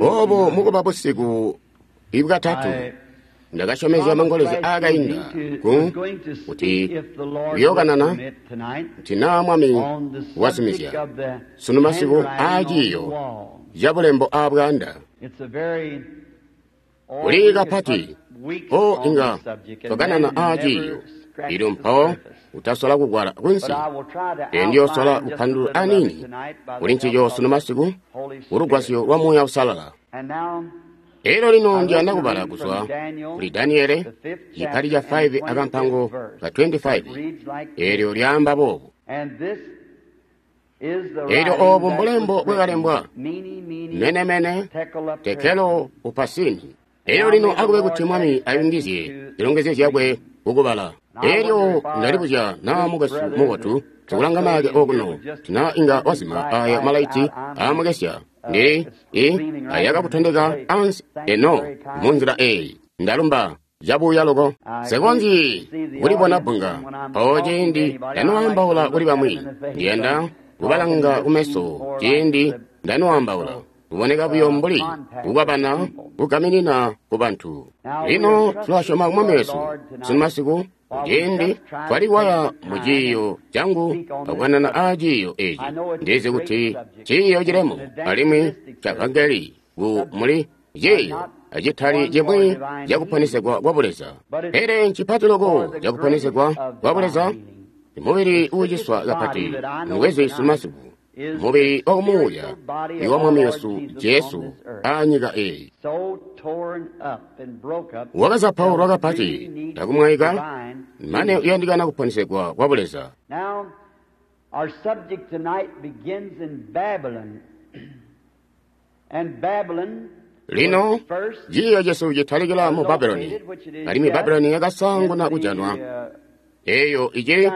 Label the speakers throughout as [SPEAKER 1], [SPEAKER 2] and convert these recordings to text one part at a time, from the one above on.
[SPEAKER 1] Obo mukuba busiku ibwatatu ndakasyomezya mangolezya aakainda kuti kuyookanana kuti naa Mwami wazumizya sunu masiku aaciiyo cabulembo aabwaanda. Kuli kapati o inga twakanana aaciiyo elyo mpawo utasola kugwala kunsi. Ndiyoosola kupandulula aniini kuli ncico sunu masiku kulugwasyo lwa Muuya Uusalala. Elyo lino ndiyanda kubala kuzwa kuli Daniele cipati ca 5 akampango ka 25 elyo lyaamba boobu. Elyo oobu mbulembo bwakalembwa mene mene tekelo upasini. Elyo lino akube kuti Mwami ayungizye zilongezyo zyakwe kukubala. Elyo ndalibuzya naa mukwesu mubotu sikulanga mayake okuno tina inga wazima aya malaiti aamukesya ndili ayakakutondeka ansi eno munzila eyi. Ndalumba cabuya loko. Nsikonzyi kulibona bbunga mpawo ciindi ndanoambaula kuli bamwi. Ndiyanda kubalanga kumeso ciindi ndanoambaula. Kuboneka buyo mbuli kukwabana kugaminina kubantu. Lino tulasyoma Mwami wesu sunu masiku ciindi twalikwaya mu ciiyo cangu akukanana aa ciiyo eci. Ndizi kuti ciiyo cilemu alimwi ca vangeli ku muli ciiyo acitali cimwi cakuponesegwa kwa buleza. Pele ncipati loko cakuponesegwa kwa buleza, mubili uuciswa kapati ngwezi sunu masiku. Mubili wakumuuya iwa Mwami wesu Jesu aanyika eyi. Wakazapaulwa kapati akumwaika mane uyandikana kuponesegwa kwa buleza. Lino ciiyo cesu citalikila mu Babuloni, alimwi Babuloni yakasaanguna kujanwa eyo icili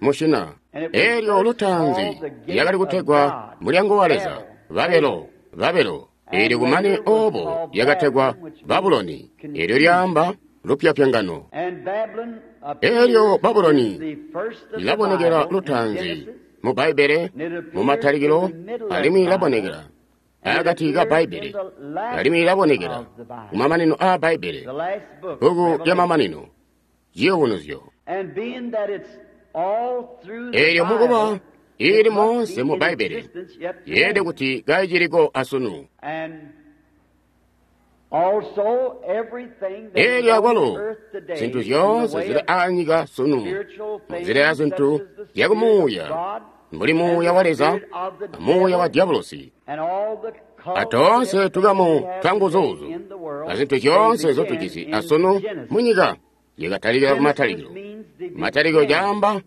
[SPEAKER 1] mushina. Elyo lutaanzi lyakali kutegwa mulyango wa Leza, Babelo, Babelo. Elyo kumane obo lyakategwa Babuloni, elyo lyaamba lupyapyangano. Elyo Babuloni lilabonekela lutaanzi mu Bbaibbele mu Matalikilo, alimwi lilabonekela akati ka Bbaibbele, alimwi lilabonekela kumamanino aa Bbaibbele, bbuku lyamamanino, Ciyubunuzyo. Elyo mukuba ili moonse mu Bbaibbele, yeelede kuti kaiciliko asunu. Elyo akwalo zintu zyoonse zili aanyika sunu munzila ya zintu zyakumuuya, mbuli muuya wa Leza amuuya wa Diabolosi, atoonse tukamu twa nguzuuzu azintu zyoonse zotujisi asunu munyika yakatalikila kumatalikilo. Matalikilo caamba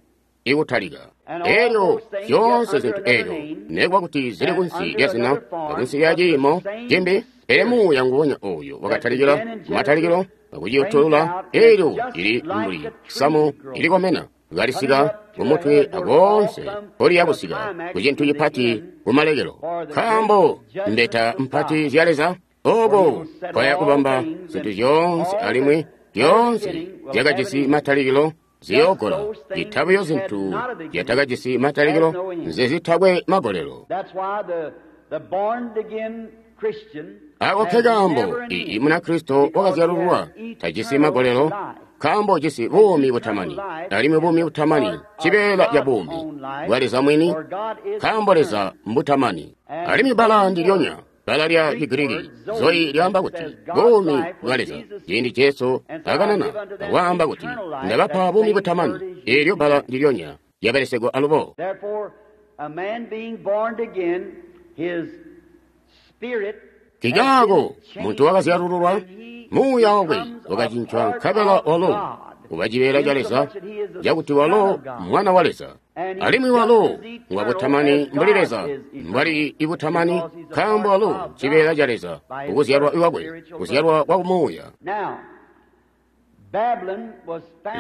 [SPEAKER 1] ikutalika. Elyo zyoonse zintu elyo nekuba kuti zili kunsi lya zina akunsi lya ciimo cimbi, pele muuya nguwonya oyo wakatalikila kumatalikilo akuciyotolola, elyo lili mbuli samu ilikomena kalisika kumutwe akoonse mpoliya kusika kucintu cipati kumalekelo. Nkaambo mbeta mpati zya Leza oko kwaya kubamba zintu zyoonse alimwi zyoonse zyakajisi matalikilo ziyoogola, citabuyo zintu zyatakajisi matalikilo nzezitakwe magolelo. Ako nkekaambo ii Munakristo wakazyalululwa tajisi magolelo, nkaambo ujisi buumi butamani, alimwi buumi butamani cibeela ca buumi bwa Leza mwini, nkaambo Leza mbutamani. Alimwi bbala ndilyonya bbala lya Chigiriki zoyi lyaamba kuti buumi bwa Leza. Ciindi Jesu akanana akwaamba kuti ndabapa buumi butamani, eelyo bbala ndilyonya lyabelesegwa alubo. Nkikaako muntu wakazyalululwa, muuya wakwe wakacincwa nkabela walo uba cibeela ca Leza, cakuti walo mwana wa Leza. Alimwi walo ngwa butamani mbuli Leza mbwali ibutamani, nkaambo walo cibeela ca Leza kukuzyalwa kwakwe, kuzyalwa kwa kumuuya.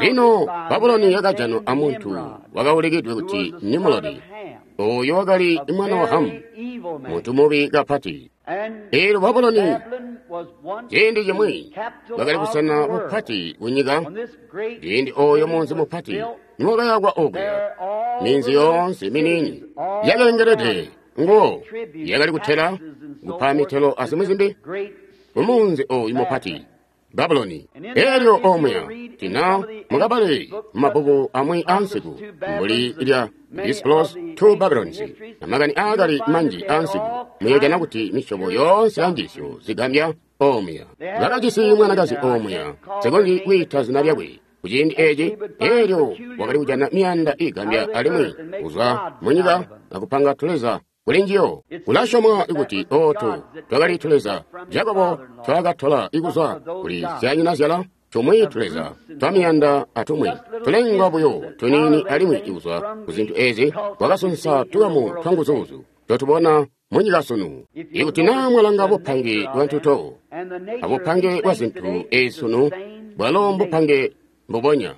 [SPEAKER 1] Lino Babuloni yakajanwa amuntu wakaulikidwe kuti Nimulodi, oyo wakali mwana wa Hamu, muntu mubi kapati. Eelyo Babuloni ciindi cimwi bwakali busena bupati kunyika, ciindi oyo munzi mupati niwakayakwa okuya, minzi yoonse miniini yakalengelede nguwo yakali kutela, kupa mitelo azimwi zimbi kumuunzi oyu mupati Babuloni. Elyo omuya tina mukabale mumabbuku amwi ansiku mbuli lya Disclose to Babylons na makani aakali manji ansiku, muyojana kuti misyobo yoonse ya njiisyo zigambya omuya. Bakajisi mwanakazi omuya, nsikonzyi kwiita zina lyakwe kuciindi eci. Elyo wakali kujana miyanda igambya alimwi kuzwa munyika akupanga tuleza kuli njiyo. Kulasyomwa kuti ootu twakali tuleza Jakobo twaakatola kuzwa kuli zyanyinazyala, tumwi tuleza twamiyanda atumwi tulengwa buyo tuniini, alimwi kuzwa kuzintu ezi wakasunsa tukamu twanguzuuzu totubona munyika sunu. Ikuti naa mwalanga bupange bwa ntuto abupange bwa zintu ezi sunu, bwalo mbupange mbubonya.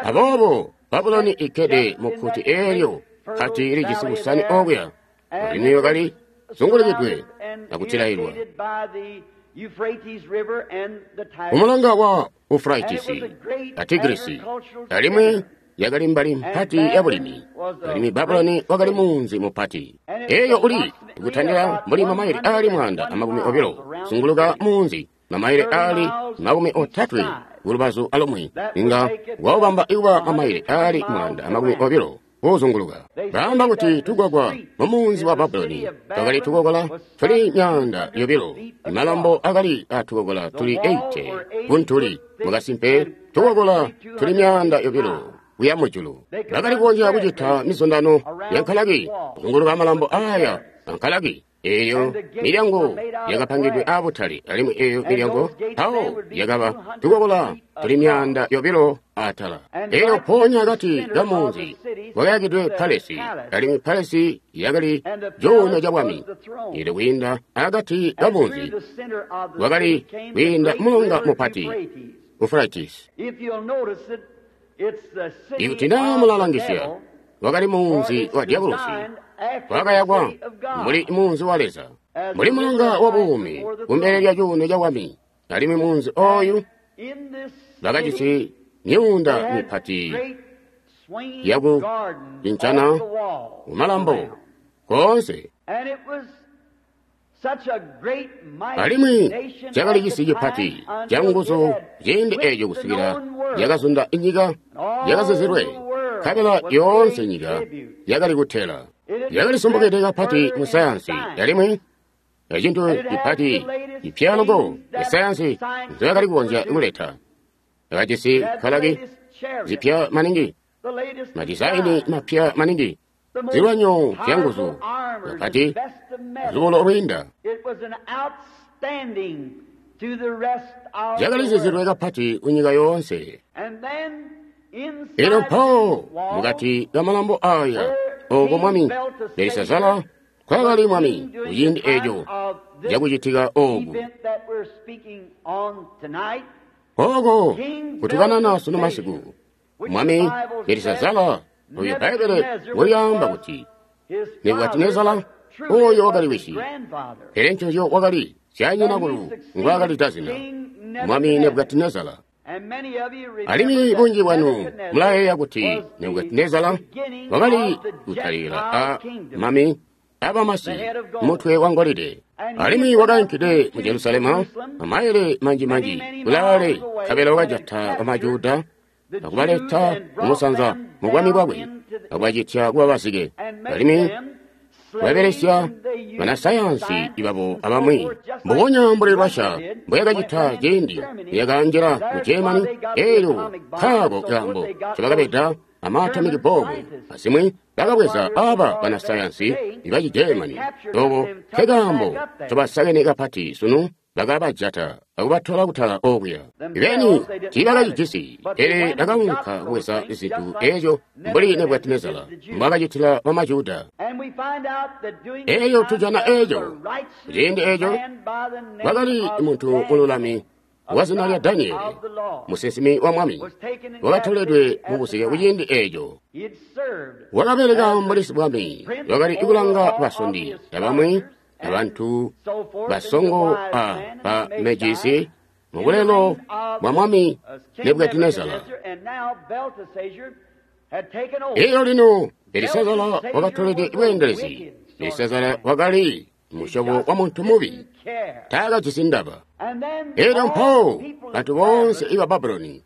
[SPEAKER 1] Aboobo Babuloni ikkede mukkuti eelyo kati lijisi busani okuya, alimwi wakali zungulikidwe akutilailwa kumulonga wa Ufraitisi a Tigrisi, alimwi yakali mbali mpati ya bulimi, alimwi Babuloni wakali munzi mupati. Eyo uli kutandila mbuli mamayile aali 120 zunguluka munzi, mamayile aali 30 kulubazu alumwi, inga waubamba ikuba mamayile aali 120 kuzunguluka. Baamba kuti tugwagwa mumunzi wa Babuloni twakali tukokola tuli 200, malambo akali atukokola tuli 80 kuntuli, mukasimpe tukokola tuli 200 kuya mujulu. Bakali kukonzya kucita mizundano ya nkalaki kuzunguluka malambo aya ankalaki. Eyo milyango yakapangidwe abutale, alimwi eyo milyango mpawo yakaba tukokola tuli 200 atala. Eyo ponya akati kamunzi kwakayakidwe palesi, alimwi palesi yakali cuuno ca bwami. Elyo kwiinda akati kamunzi wakali kwiinda mulonga mupati Ufraitisi. Ikuti naa mulalangisya, wakali munzi wa Diabolosi, wakayakwa mbuli munzi wa Leza, mbuli mulonga wa buumi kumbele lya cuuno ca bwami. Alimwi munzi oyu bakajisi myuunda mipati yaku cincana kumalambo koonse. Alimwi cakali cisi cipati canguzu ciindi eco kusikila yakazunda nyika yakazizilwe, nkabela yoonse nyika yakali kutela. Yakali sumbukide kapati mu sayansi, alimwi ecintu cipati cipya loko isayansi nzoyakali kukonzya kuleta. Yakajisi nkalaki zipya maningi, madizaini mapya maningi, zilwanyo zyanguzu kapati, lubulo lwiinda. Zyakali zizilwe kapati kunyika yoonse. Elyo mpawo mukati kamalambo aya oko mwami Belisazara kwakali mwami kuciindi eco cakucitika oku. Oko kutukanana sunu masiku, mwami Belisazara oyo Bbaibbele ngoyaamba kuti Nebukadinezara oyo wakali wisi, pele nconzyo wakali syanyinakulu ngwaakali zina, mwami Nebukadinezara. Alimwi bunji bwanu mulayeeya kuti Nebukadinezara wakali kutalikila a mami abamasi mutwe wa ngolide, alimwi wakainkide mu Jerusalema mamayile manji-manji kulaale, nkabela wakajata bamajuda akubaleta kumusanza mu bwami bwakwe, akubacitya kuba bazike, alimwi babelesya banasayansi babo abamwi, mbubonya mbuli Russia mbuyakacita ciindi yakanjila mu Germany. Elyo nkaako kaambo ncobakabeda ama atomic bomb azimwi, bakabweza aba banasayansi baci Germany. Oko nkekaambo ncobasakene kapati sunu, bakabajata akubatola kutala okuya. Beni tiibakacijisi, pele bakaunka kubweza zintu eezyo mbuli Nebukadinezara mbwaakacitila bamajuda. Eeyo tujana eeco kuciindi eeco kwakali muntu mululami wazina lya Danieli, musinsimi wa mwami, wakatoledwe mubuzike kuciindi eeco. Wakabeleka mbuli sibwami, wakali kulanga basondi abamwi abantu basongo a ba mejisi mubulelo bwa mwami Nebukadinezara. Eyo lino Belisazara wakatolede bweendelezi. Belisazara wakali musyobo wa muntu mubi, taakajisi ndaba. Elyo mpawo bantu boonse iba Babuloni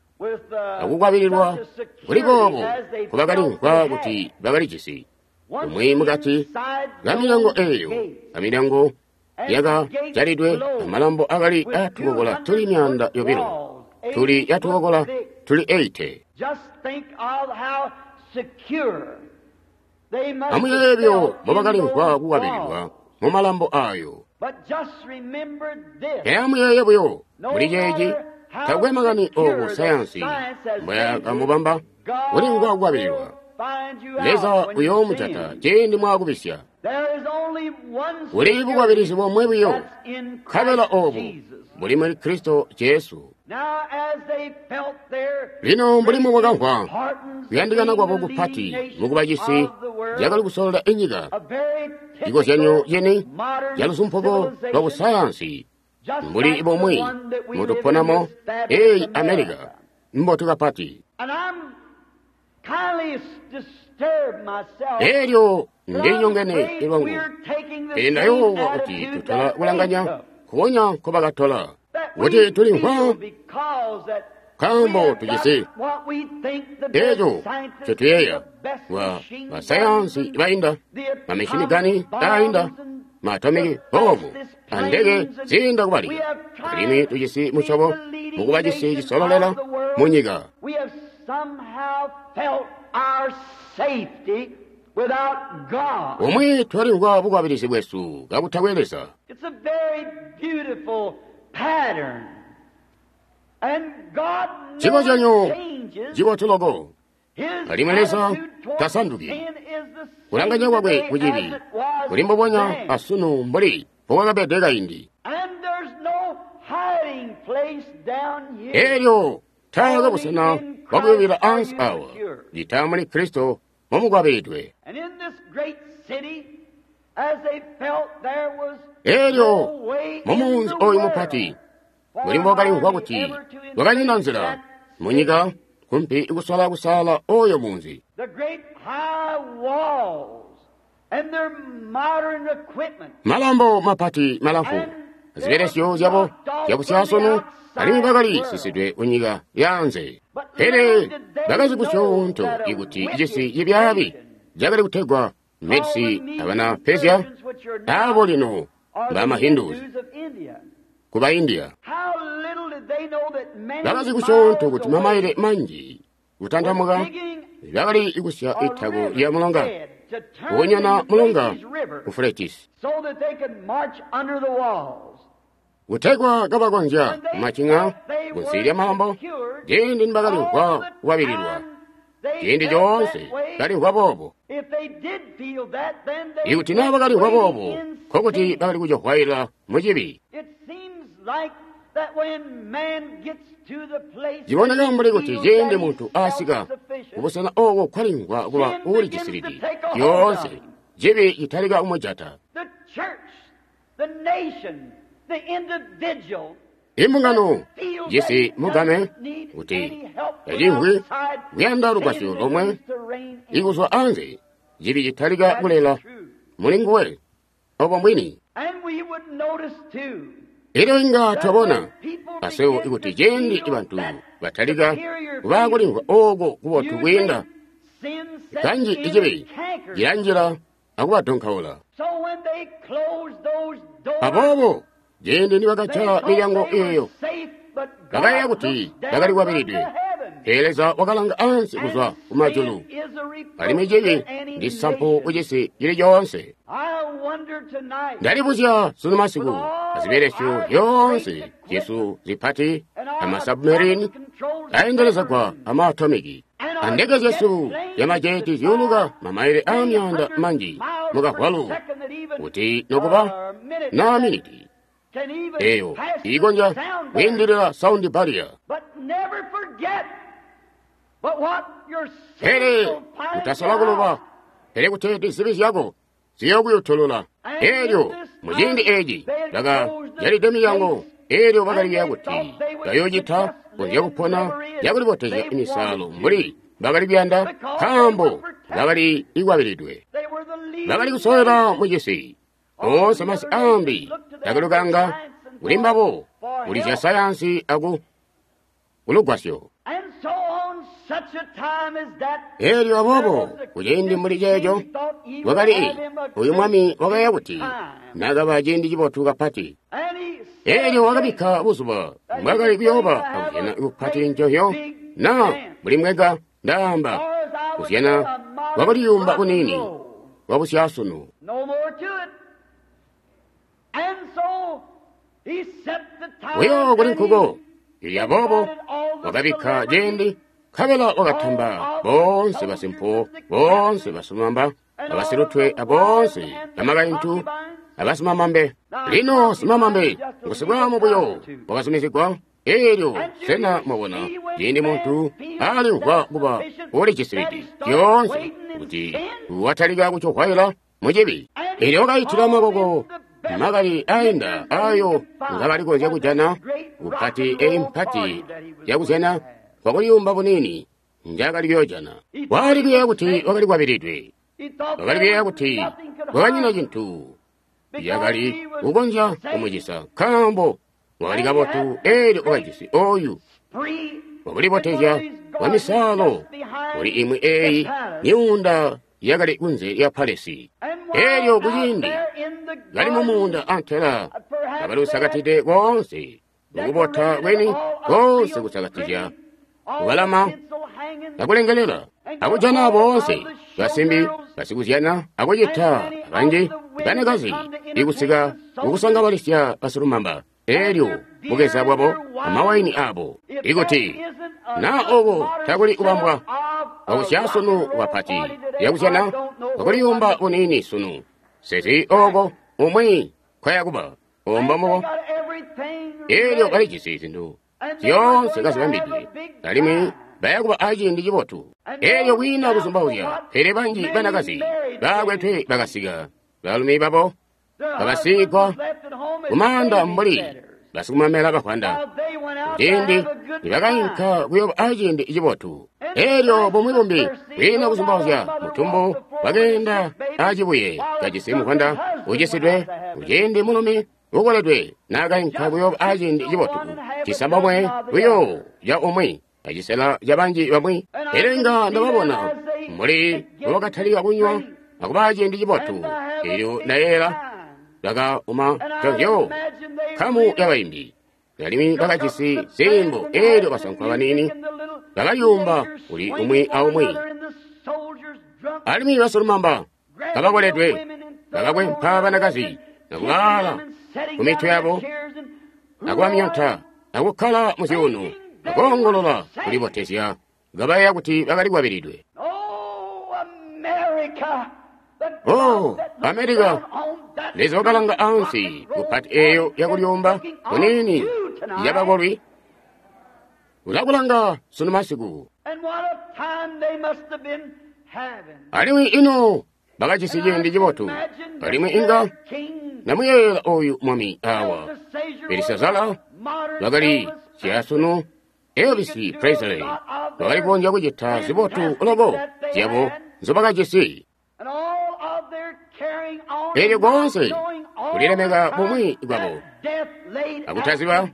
[SPEAKER 1] akukwabililwa kuli boobo nkubakalimvwa kuti bakalijisi, umwi mukati kamilyango eeyo, kamilyango yakajalidwe amalambo akali atukokola tuli 200, tuli yatukokola tuli 80. Amuyeebyo mbobakalimvwa kukwabililwa mumalambo ayo. Pele amuyeeye buyo muli ceeci, takwe makani obu sayansi mbwayakamubamba kulimvwa kukwabililwa. Leza uyoomujata ciindi mwaakubisya. Kuli bukwabilizi bomwe buyo, nkabela obu buli muli Kristo Jesu. Lino mbuli mubwakamvwa kuyandikana kwabo kupati mukuba cisi cakali kusolola inyika, cikozyanyo ceni calusumpuko lwa busayansi mbuli bomwe mutuponamo eyi America mbotu kapati. Elyo ndilinyongene lwangu, pele ndayoowa kuti tutola kulanganya nkukonya nkobakatola, kuti tulimvwa nkaambo tujisi eco ncotuyeeya wa basayansi bainda, mamishini gani ainda, maatomiki bomu, andeke ziinda kubalika, alimwi tujisi musyobo mukuba cisi cisololela munyika. Umwi twalimvwa bukwabilizi bwesu kakutakwe Leza. Cikozyanyo cibotu loko, alimwi Leza tasanduki. Kulanganya kwakwe kucibi kuli mbubonya asunu mbuli mbokwakabede kaindi. Elyo taakwe busena bwakuyubila ansi awa, cita muli Kristo momukwabilidwe. Elyo mumunzi oyu mupati, mbuli mbwakalimvwa kuti kwakanyina nzila munyika kumpi ikusola kusaala oyo munzi. Malambo mapati malamfu, zibelesyo zyabo zyabusyasunu, alimwi bakali sisidwe kunyika yaanze. Pele bakazi kusyoonto ikuti cisi cibyaabi cakali kutegwa Medsi abana Persia, abo lino bama Hindus kuba India. Bakazi kusyoonto kuti mamaile manji kutantamuka bakali ikusya itako lya mulonga, kunyana mulonga Euphrates, kutegwa kabakonzya kumacinga kunsi lya malambo ciindi nibakalimvwa kukwabililwa. Ciindi coonse balimvwa boobo. Ikuti naa bakalimvwa boobo, nkokuti bakali kujohwaila mucibi. Ciboneka mbuli kuti ciindi muntu asika kubusena ooko kwalimvwa kuba uulijisilidi, lyoonse cibi citalika kumujata. Imbungano jisi mugame kuti tacimvwi kuyanda lugwasyo lomwe ikuzwa anze, cibi citalika kulela muli nguwe obo mbwini. Elyo inga twabona aswebo ikuti ciindi bantu batalika kuba kulimvwa ooko kubotu kwiinda, kanji icibi cilanjila akubadonkaula. Aboobo ciindi nibakajala milyango eeyo, bakayeeya kuti bakali kwabilidwe. Pele Leza wakalanga ansi kuzwa kumajulu, alimwi cibi ndi sampu kucisi cili coonse. Ndalibuzya sunu masiku azibelesyo zyoonse zyesu zipati amasubmarine aendelezegwa amaatomiki, andeke zyesu zyamajeti zyuuluka mamaile aamyaanda manji mukavwalu, kuti nokuba na miniti eyo iikonzya kwiindilila saundi barrier. Pele utasola kuluba, pele kuteeti zibi zyako ziyokuyutulula. Elyo muciindi eeci bakajalide milyango, elyo bakaliyeeya kuti bayoocita konzya kupona yakulibotezya imisaalo mbuli bakali kuyanda, nkaambo bakali ikwabilidwe. Bakali kusowela mu cisi. Oonse masi ambi takalukanga kuli mbabo, kuli zya sayansi aku kulugwasyo. Elyo aboobo kuciindi mbuli ceeco wakali uyu mwami wakaya kuti nakaba ciindi cibotu kapati. Elyo wakabikka buzuba mbwakali kuyooba akuzyana kupati ncohyo na mbuli mweka ndaamba kuzyana kwakuliyumba kunini kwabusyasunu. Buyo kuli nkuko. Elyo aboobo wakabikka ciindi nkabela wakatamba boonse basimpo, boonse basimamaba, abasilutwe aboonse bamakaintu abasimamambe. Lino simamambe ngusibwaamu buyo wakazumizigwa. Elyo sena mwabona ciindi muntu alimvwa kuba ulicisibidi zyoonse kuti watalika kucohwaila mucibi. Elyo wakaitila makoko makali ainda ayo ngabali konzya kujana kupati eyi mpati yakuzyana kwakuliyumba bunini njakali kuyoojana. Wakali kuyeeya kuti wakali kwabilidwe. Wakali kuyeeya kuti kwakanyina cintu yakali kukonzya kumucisa nkaambo wakali kabotu. Elyo wakajisi oyu wakulibotezya kwa misaalo kuli imwi eyi myuunda yakali kunze lya palesi. Elyo kuciindi kali mumuunda antela kabalusakatide koonse mukubota kweni koonse kusakatizya kubalama akulengelela akujana boonse basimbi basikuzyana akucita abanji banakazi ikusika kukusangabalisya basilumamba. Elyo bukeza bwabo amawaini abo ikuti na obo takuli kubambwa kwakusyasunu kwapati yakuzyana kwakuliyumba bunini sunu sezi oko umwi kwayakuba ombamuko. Elyo balijisi zintu zyoonse kazibambidwe alimwi bayakuba aciindi cibotu. Elyo kwiina kuzumbauzya, pele banji banakazi bakwetwe bakasika balumi babo babasigwa kumaanda mbuli basikumamela bafwanda ciindi nibakainka kuyoba aciindi cibotu. Elyo bumwi bumbi kwiina kuzumbauzya mutumbu wakeenda acibuye kajisi mufwanda ucisidwe kuciindi mulumi ukoledwe naakainka kuyoba aciindi cibotu cisambomwe buyo ca umwi acisela ca banji bamwi. Elyo inga ndababona mbuli mbobakatalika kunywa akuba aciindi cibotu. Elyo ndayeeyela bakauma covyo nkamu yabaimbi alimwi bakajisi ziimbo. Elyo basankwa banini bakayumba kuli umwi aumwi, alimwi basilumamba kabakoledwe bakakwempa banakazi nakubaala ku mitwe yabo akubamyonta akukkala muzyuuno akoongolola kulibotezya kabayeeya kuti bakali kwabilidwe. Oh, Amerika, Leza wakalanga ansi kupati eyo yakulyomba kunini yabakolwi ulakulanga sunu masiku. Alimwi ino bakajisi ciindi cibotu. Alimwi inga namuyeeyela oyu mwami awa Belisazara bakali syasunu Elvis Presley bakali kukonzya kucita zibotu loko zyabo nzobakajisi. Elyo koonse kulilemeka bumwi bwabo akutaziba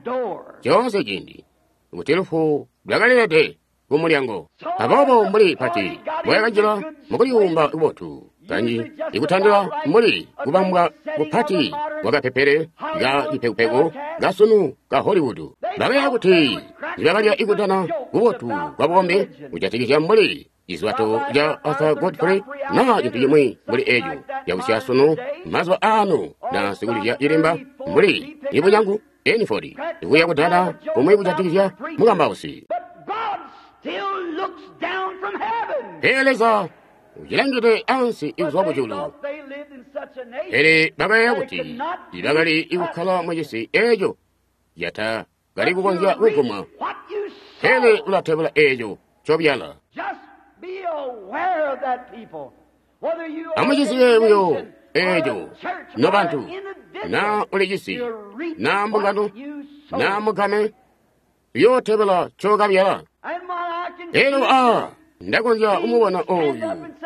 [SPEAKER 1] coonse ciindi kuti lufu lwakalilede kumulyango. Aboobo mbuli pati bwakanjila mukuliyumba kubotu kanji ikutandila mbuli kubambwa kupati kwakapepele ka cipekupeku kasunu ka Hollywood. Bakaya kuti nibakalya ikutana kubotu kwa bukombi kujatikizya mbuli cizwato ca Arthur Godfrey na cintu cimwi mbuli eco cakusya sunu mazuba ano na sikulizya cilimba mbuli ibunyangu Eniford ikuya kudana kumwi kujatikizya mukambausi. Pele Leza ucilangide ansi ikuzwa kujulu. Pele bakayeeya kuti ibakali ikukkala mucisi eco yatakali kukonzya kugumwa. Pele ulatebula eco cobyala. Amucizibe buyo eco nobantu, na ulicisi na mbungano na mugame uyootebela cokabyala. Elyo ndakonzya kumubona oyu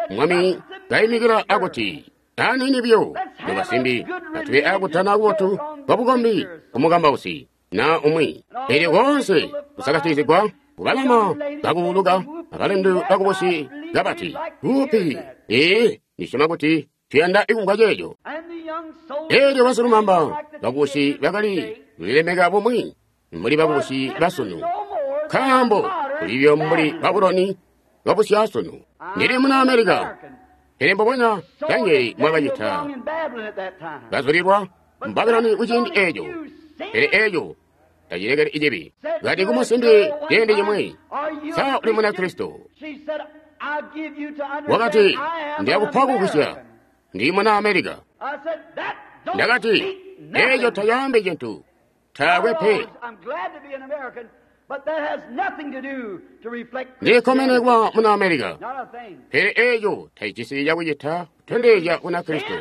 [SPEAKER 1] mwami kayimikila akuti, Aniini buyo, nobasimbi, atube akutana kubotu kwa bukombi kumukambausi na umwi. Elyo koonse kusakatizigwa kubalama bakuuluka abalindu bakubusi kabati kupi. Ee, ndisyoma kuti tuyanda ikumvwa ceeco. Elyo basilumamba bakubusi bakali kulilemeka bumwi mbuli bakubusi basunu, nkaambo kulibyo mbuli Babuloni babusyasunu. Ndili muna Amerika, pele mbubonya Danieli mwakacita bazulilwa mu Babuloni kuciindi eeco, pele eeco tacilekeli icibi. Kati kumusimbi ciindi cimwi, sa uli muna Kristo? Wakati, ndiyakupa kugwisya, ndi muna Amerika. Ndakati, eeco tacaambi cintu, taakwe pe. Ndikkomene kuba muna Amerika, pele eeco tacijisi cakucita kutondezya kuna Kristo.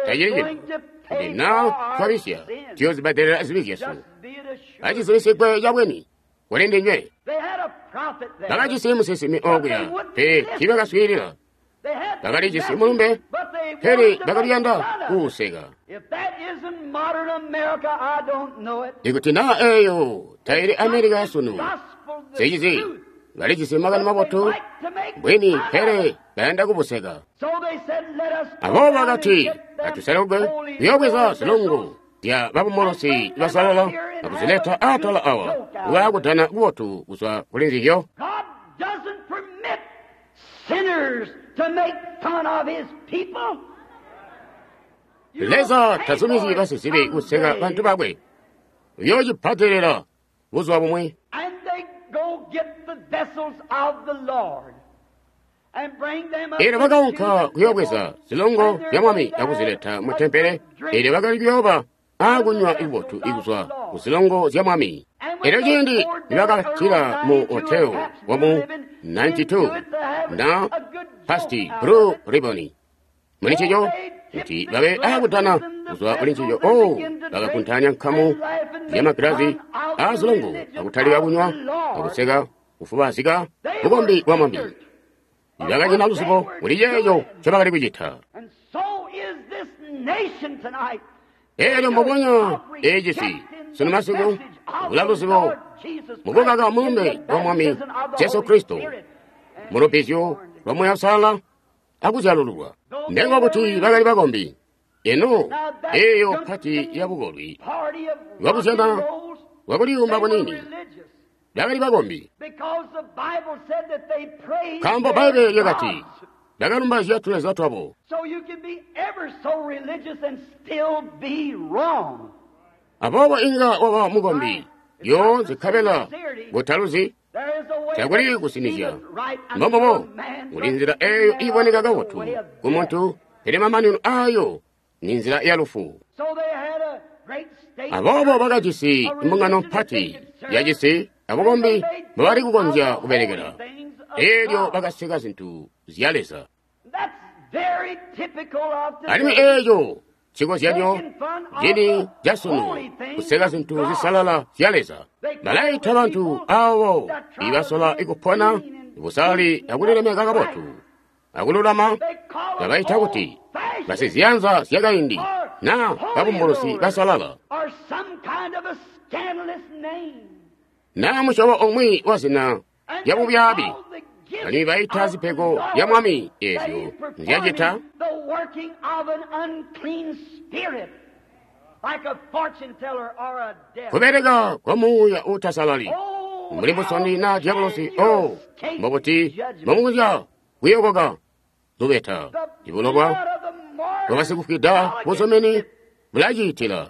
[SPEAKER 1] Tacili cintu. Kuti naa twabisya, tuyoozibbadelela zibi zyesu. Acizibisigwe cabweni kuli ndinywe. Bakajisi musinsimi okuya, pele tiibakaswiilila. Bakalijisi mulumbe, pele bakaliyanda kuuseka. Ikuti naa eeyo taili Amerika yasunu, sicizi balijisi makani mabotu bwini, pele bayanda kubuseka. Aboobo bakati, atuselukwe kuyoobweza zilungu zya babumolosi basalala akuzileta atala awa kuba kubotu kuzwa kuli nzizyo. Leza tazumizyi basizibi kuseka bantu bakwe. Uyoocibbadelela buzuba bumwi. Eelyo bakaunka kuyoobweza zilongo zya Mwami akuzileta mu tempele. Eelyo bakali kuyooba akunywa ikubotu ikuzwa ku zilongo zya Mwami. Eelyo ciindi nibakatila mu hotel wamu 92 na pasti Blue Ribbon muli ncico kuti babe akudana kuzwa kuli ncico, o bakakuntanya nkamu ya magilazi azilongo akutalika kunywa akuseka kufubazika bukombi bwa Mwami. Bakanyina luzibo kuli ceeco ncobakali kucita. Eelyo mbubonya eecisi sunu masiku kula luzibo mukukaka mulumbe wa Mwami Jesu Kristo mulubizyo lwa Muuya Uusalala akuzyalululwa. Ndenga kuti bakali bakombi. Eno eeyo pati ya bukolwi bwakuzyana bwakuliyumba kunini bakali bakombi, nkaambo Bbaibbele lyakati bakalumba tuleza twabo. Aboobo inga waba mukombi yoonse nkabela butaluzi takuli kusinizya. Mbombobo kuli nzila eeyo iiboneka kabotu kumuntu, pele mamanino aayo ni nzila ya lufu. Aboobo bakajisi mbungano mpati yacisi abukombi mbobali kukonzya kubelekela. Eelyo bakaseka zintu zya Leza. Alimwi eeco cikozyanyo cini casunu, kuseka zintu zisalala zya Leza. Balaita bantu aabo ibasola kupona busali akulilemeka kabotu akululama, babaita kuti basiziyanza zyakaindi naa babumbulusi basalala naa musyobo umwi wa zina lya bubyaabi. Alimwi baita zipego zya Mwami eezyo nzyacita kubeleka kwa muuya uutasalali mbuli musondi naa diabolosi. O mbobuti mbomukonzya kuyokoka lubeta ibulobwa bwabasikufwida buzumini bulaciitila.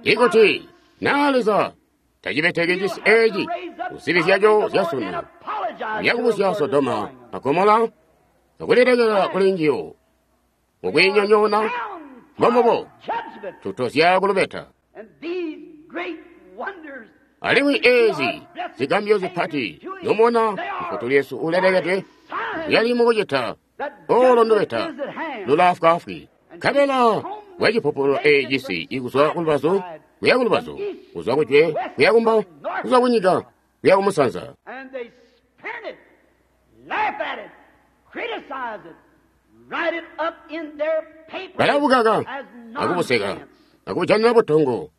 [SPEAKER 1] Ikuti naa Leza tacibeteki cisi eeci kuzibi zyaco zyasunu, uyakubusya Sodoma a Gomola akulilekela kuli njiyo mukwiinyonyoona. Mbombubo tutozya kulubeta. Alimwi eezi zigambyo zipati nomona mufutuli Yesu ulelekedwe yali mukucita olo ndubeta lulaafwaafwi. Nkabela bwacipupulula eecisi ikuzwa kulubazu kuya kulubazu, kuzwa kujwe kuya kumbo, kuzwa kunyika kuya kumusanza. Balabukaka akubuseka akubujanina butongo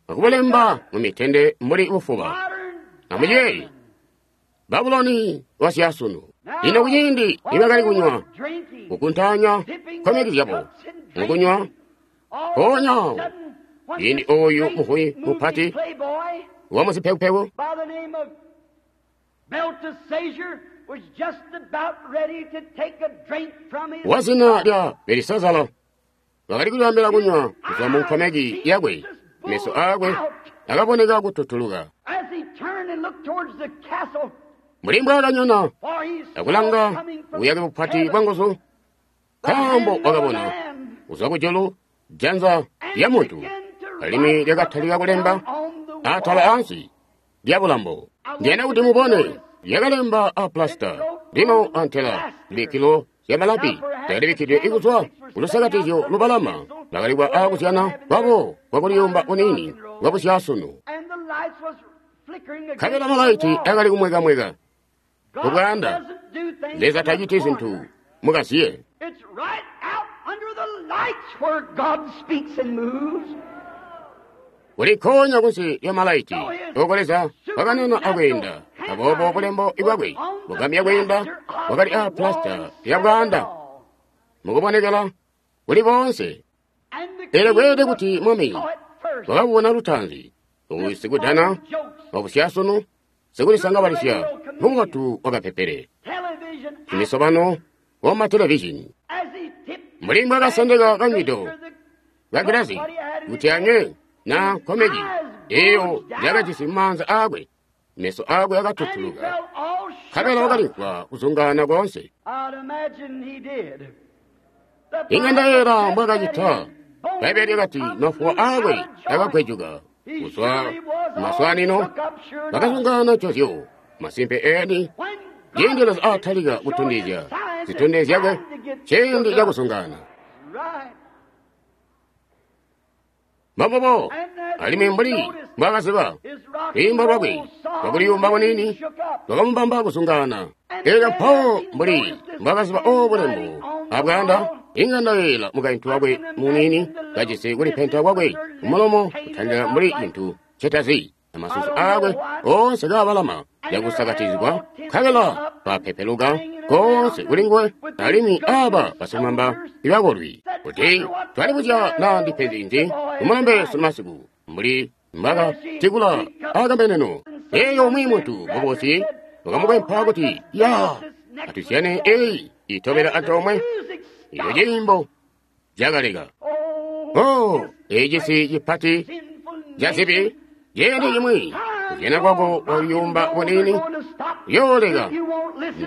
[SPEAKER 1] akubulemba mumitende mbuli bufuba. Amuyeeye Babuloni wasyasunu. Lino kuciindi nibakali kunywa kukuntaanya nkomeki zyabo mukunywa, mpoonya awo ciindi ooyu muhuyi mupati wamuzipekupeku wazina lya Belisazara wakali kulyaambila kunywa kuzwa mu nkomeki yakwe, meso aakwe akaboneka kututuluka. Mbuli mbwaakanyona akulanga buyake bupati bwa nguzu, nkaambo wakabona kuzwa kujulu janza lya muntu alimwi lyakatalika kulemba atala ansi lya bulambo. Ndiyanda kuti mubone lyakalemba a plasita lino antela zibikkilo zya malapi zyakalibikkidwe ikuzwa kulusakatizyo lubalama lwakalikwa aakuzyana kwabo kwakuliyumba uniini bwabusyasunu. Nkabela malaiti akali kumwekamweka kubwaanda. Leza taciti zintu mukaziye. Kulikhonya kunsi lya malaiti oko Leza wakanena akweenda. Aboobo bulembo bwakwe bugamya kweenda bwakali a plasita ya bwaanda mukubonekela kuli boonse. Pele kweelede kuti mwami wakabubona lutaanzi uyu sikudana wabusyasunu sikulisangabalisya mubotu wakapepele imisobano wamatelevizhini. Mbuli mbwaakasendeka kanywido kagilazi kuti anywe na nkomeki eyo njakajisi mumaanza aakwe, meso aakwe akatutuluka, nkabela wakalimvwa kuzungaana koonse. Inga ndayeera mbwaakacita. Bbaibbele lyakati mafuwa aakwe akagwejuka kuzwa kumaswaanino, bakazungaana ncozyo. Masimpe eeni, ciindi Leza aatalika kutondezya zitondezyo zyakwe, ciindi cakuzungaana. Mbobobo, alimwi mbuli mbwaakaziba lwiimbo lwakwe lwakuliyumba kuniini lwakamubamba kuzungaana. Elyo mpawo mbuli mbwaakaziba obo bulembo abwaanda, inga ndayeeyela mukaintu wakwe muniini kajisi kulipenta kwakwe kumulomo kutandila mbuli cintu ncetazi, amasusu aakwe oonse kaabalama cakusakatizigwa, nkabela bapepeluka koonse kuli nguwe, alimwi aaba basilumamba ibakolwi. Kuti twalibuzya naa ndipenzi nzi kumulombe sunumasiku mbuli mbwaakatikula akambeneno. Eeyo umwi muntu mubosi wakamukwempa kuti, ya atuzyane eyi itobela antoomwe. Eco ciimbo cakaleka. Oh, ecisi cipati cazibi ciindi cimwi kuzyana kwako kwaliyumba buniini kuyooleka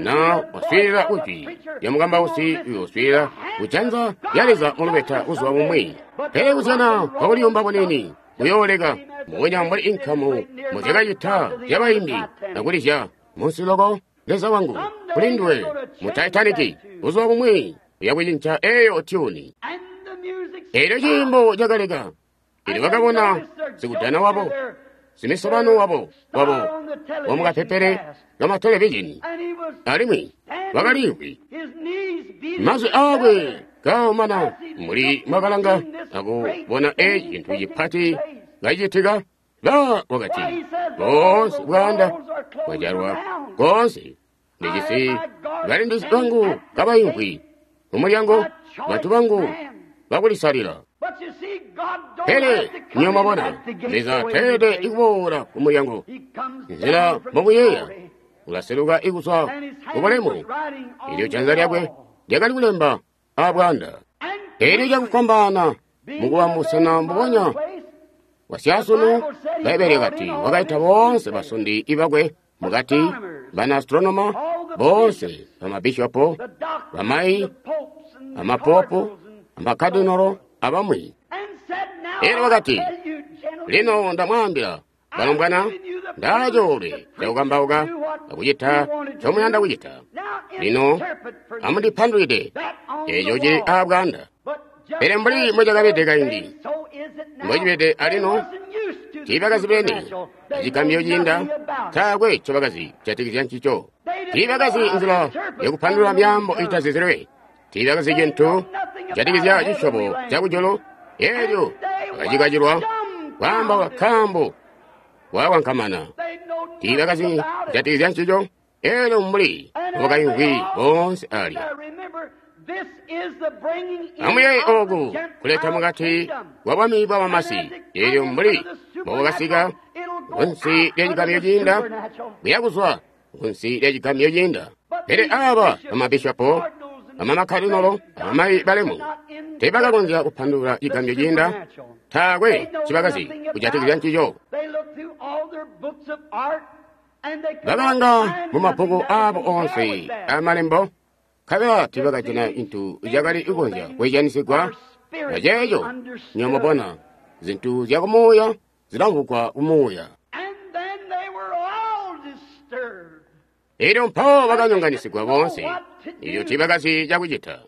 [SPEAKER 1] na waswiilila kujwi lya mukambausi uyooswiilila kujanza lya Leza mulubeta buzuba bumwi. Pele kuzyana kwakuliyumba buniini kuyooleka mbubonya mbuli inkamu muzyakacita zyabaimbi akulizya munsi loko Leza wangu kuli nduwe mu Titanic buzuba bumwi uyakucinca eyo tyuni. Elyo ciimbo cakaleka. Elyo bakabona sikudana wabo, simisobano wabo wamukapepele kamatelevizhini, alimwi wakaliimvwi. Mazwi aakwe kaomana mbuli mwakalanga akubona eci cintu cipati kacicitika. Ba wakati, boonse bwaanda bwajalwa koonse, ndijisi balindizi bangu kabaimvwi kumulyango, bantu bangu bakulisalila. Pele nywebo mwabona, Leza teelede ikuboola kumulyango nzila mbomuyeeya, ulaseluka ikuzwa kubulemu. Elyo janza lyakwe lyakali kulemba abwaanda. Elyo cakufwambaana mukuba musena mbubonya wasyasunu, Bbaibbele lyakati wakaita boonse basundi ibakwe mukati, bana astronoma boonse, bamabishopo, bamayi, amapopu, amakadinolo abamwi. Elyo wakati, lino ndamwaambila balombwana, ndaacoolwe cakukambauka akucita ncomuyanda kucita. Lino amundipandulwide eco cili aabwaanda. Pele mbuli mbocakabede kaindi, mbocibede alino, tiibakazibene acigambyo ciinda, taakwe ncobakazi kujatikizya ncico. Tiibakazi nzila yakupandulula myaambo itazizilwe. Tiibakazi cintu kujatikizya cisyobo cakujulu. Elyo bakacikacilwa kwaamba kaambo kwakankamana. Tiibakazi kujatikizya ncico. Elyo mbuli mbobakaimvwi boonse alya. Amuyeeye oku kuleta mukati kwa bwami bwa bamasi. Elyo mbuli mbobakasika kunsi lya cigamyo ciinda, kuya kuzwa kunsi lya cigamyo ciinda. Pele aba bamabishopo, bamamakkadinolo, abamayi balemu teebakakonzya kupandulula cigamyo ciinda. Taakwe cibakazi kujatikizya ncico. Bakalanga mumabbuku aabo onse amalembo, nkabela tiibakajana cintu cakali kukonzya kwezyanisigwa aceeco. Nywebo zintu zyakumuuya zilamvwugwa kumuuya. Elyo mpawo bakanyonganisigwa boonse, elyo tiibakazi cakucita.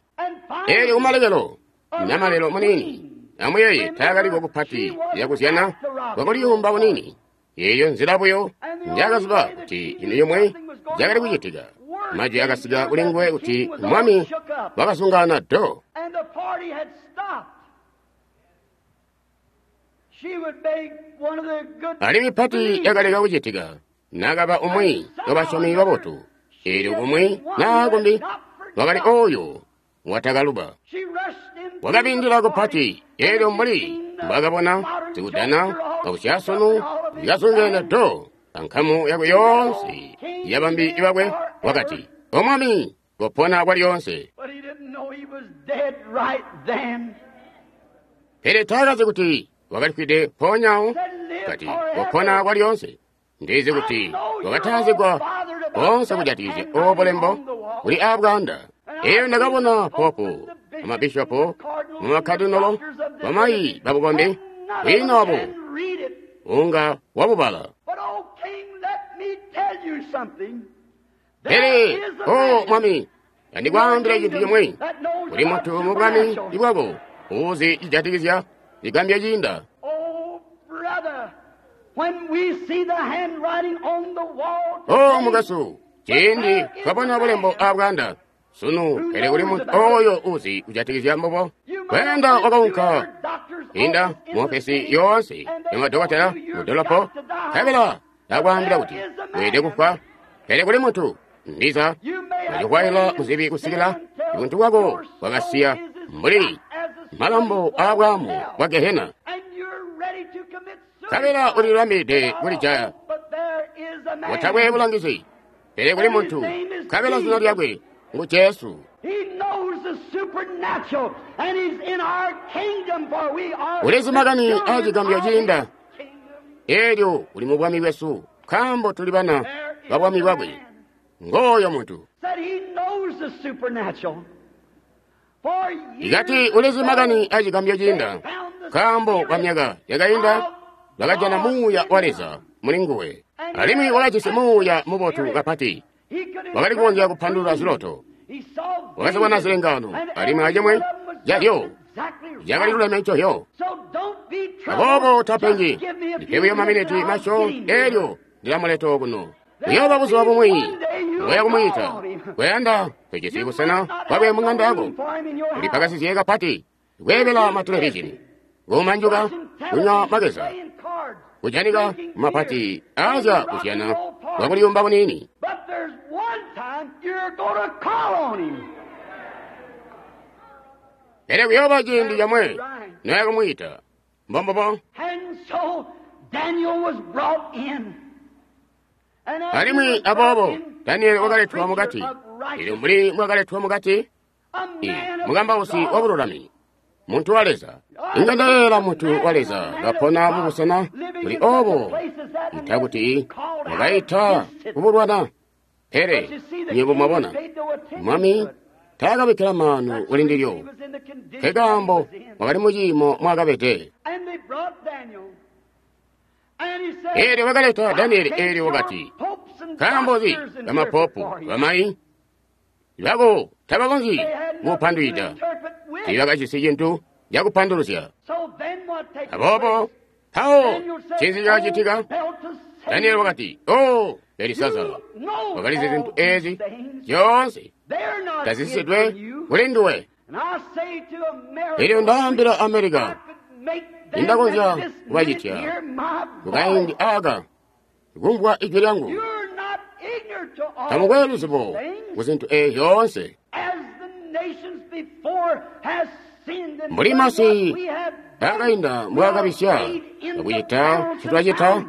[SPEAKER 1] Elyo kumalekelo, namalelo muniini, amuyeeye taakaliko kupati yakuzyana kwakuliyumba kunini. Eyo nzila buyo njakaziba kuti cintu cimwe cakali kucitika. Majwi akasika kuli nguwe kuti mwami wakazungaana do. Alimwi pati yakaleka kucitika nakaba umwi wabasyomi babotu. Elyo kumwi naa kumbi wakali oyo watakaluba. Wakabindila kupati. Elyo mbuli mbwakabona zikudana akusyasunu zikazungene do ankamu yakwe yoonse yabambi bakwe, wakati, O mwami, kopona kwalyoonse. Pele taakazi kuti wakalifwide mpoonyawo. Kati, kopona kwalyoonse. Ndizi kuti wakatazigwa koonse kujatikizya obo bulembo buli aabwaanda. Eyo ndakabona popu, amabishopo, mumakadinolo, bamayi babukombi, kwiina wabo unga wabubala. Pele, o mwami, andikwaambila cintu cimwe. Kuli muntu mu bwami bwako uuzi cijatikizya cigambya ciinda. O mukasu, ciindi twabona bulembo aabwaanda sunu, pele kuli muntu oyo uzi kujatikizya mbubo. Kweenda wakaunka inda muofesi yoonse yamadokotela mudolopo, nkabela akwaambila kuti weelede kufwa. Pele kuli muntu ndiza wacikwaila muzibi kusikila buntu bwako bwakasiya mbuli malambo aabwaamu bwa Gehena, nkabela ulilibambilide kulijaya utakwe bulangizi. Pele kuli muntu, nkabela zina lyakwe ngu Jesu. Ulizi makani aacigambyo ciinda. Elyo uli mu bwami bwesu, nkaambo tuli bana ba bwami bwakwe. Ngooyo muntu. Ikati ulizi makani aacigambyo ciinda, nkaambo kwa myaka yakainda bakajana muuya wa Leza muli nguwe, alimwi wakajisi muuya mubotu kapati. Wakali kukonzya kupandulula ziloto, wakazibona zilengaano, alimwi acimwi cazyo cakali luleme ncozyo. Aboobo tapengi, ndipe buyo maminiti masyoonto, elyo ndilamuleta okuno. Kuyooba buzuba bumwi ngoya kumwiita. Kuyanda kwejesi busena bwakwe mung'anda yako. Ulipakasizye kapati kweebela matelevizhini, kumanjuka, kunywa makeza, kujanika mapati aazya kuzyana kwakuliyumba kunini. Pele kuyooba ciindi camwe noya kumwiita. Mbombobo. Alimwi aboobo Danieli wakaletwa mukati. Elyo mbuli mwakaletwa mukati, mukambausi wa bululami, muntu wa Leza. Inga ndaleela muntu wa Leza kapona mubusena buli obo, ita kuti wakaita kubulwana. Pele nywebo mwabona, mwami taakabikkila maanu kuli ndilyo, nkekaambo wakali muciimo mwakabede. Elyo wakaleta Danieli, elyo wakati, nkaambo nzi bamapopu bamayi bako tabakonzyi kupandwida? Tiibakajisi cintu cakupanduluzya. Aboobo mpawo ncinzi cakacitika? Danieli wakati, O Belisazara, wakalizi zintu ezi zyoonse tazisisidwe kuli nduwe. Elyo ndaambila Amerika, nindakonzya kubacitya kukaindi aka kumvwa ijwi lyangu. Tamukwe luzibo ku zintu ezi zyoonse. Mbuli masi akainda mbwaakabisya akucita ncitwacita,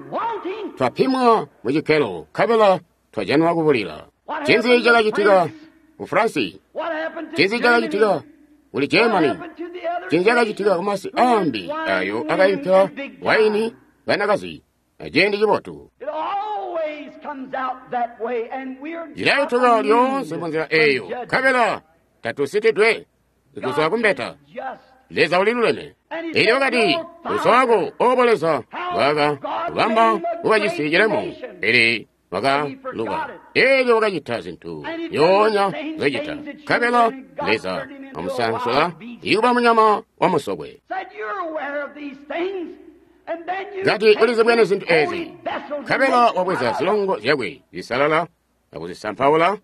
[SPEAKER 1] twapimwa mu cikkelo nkabela twajanwa kubulila. Ncinzi cakacitika ku Fransi? Ncinzi cakacitika kuli Germany? Ncinzi cakacitika kumasi aambi ayo akainka waini banakazi aciindi cibotu? Cilayutuka lyoonse munzila eyo nkabela tatusitidwe kuzwa kumbeta. Leza uliluleme. Elyo wakati, uso wako obo Leza waka kubamba kuba cisi cilemu, pele wakaluba. Elyo wakacita zintu zyoonya zocita, nkabela Leza wamusansula ikuba munyama wa musokwe. Kati ulizibwene zintu ezi, nkabela wabweza zilongo zyakwe zisalala akuzisampaula.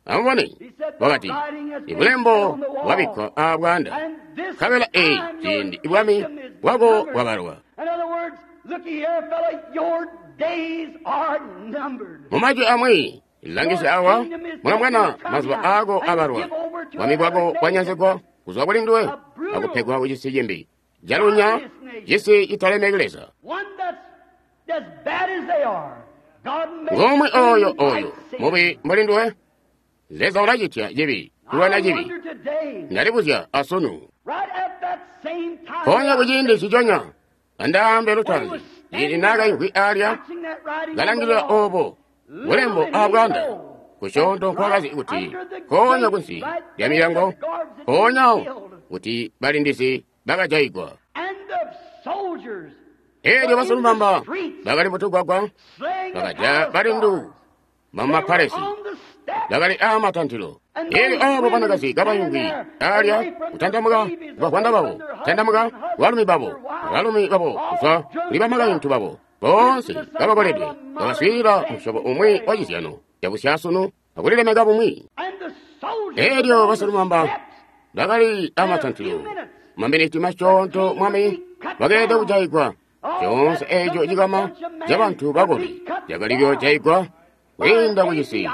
[SPEAKER 1] Amubone, wakati, ibulembo bwabikkwa aabwaanda, nkabela eyi ciindi ibwami bwako bwabalwa. Mumajwi amwi, langisya awa, mulamwana mazuba aako abalwa, bwami bwako bwanyanzigwa kuzwa kuli nduwe akupegwa ku cisi cimbi, calunya, cisi citalemeki Leza. Ngomwe oyo oyo mubi mbuli nduwe. Leza ulacitya cibi kulwana cibi. Ndalibuzya asunu. Mpoonya kuciindi nciconya andaambe lutaanzi, ciindi naakaimvwi alya kalangilila obo bulembo aabwaanda, kusyoonto nkwakazi kuti nkoonya kunsi lya milyango, mpoonyawo kuti balindizi bakajayigwa. Elyo basilumamba bakali mutugwagwa bakajaya balindu bamumapalesi bakali aamatantilo. Elyo aabo banakazi kabaimvwi alya kutantamuka kubavwanda babo, kutantamuka kubalumi babo, balumi babo kuzwa kuli bamakaintu babo, boonse kabakoledwe, bakaswiilila musyobo umwi wa cizyano cabusyaasunu akulilemeka bumwi. Elyo basilumamba bakali aamatantilo maminiti masyoonto mwami bakeelede kujayigwa. Coonse eeco cikama cabantu bakolwi cakali kuyoojayigwa kwiinda kucisi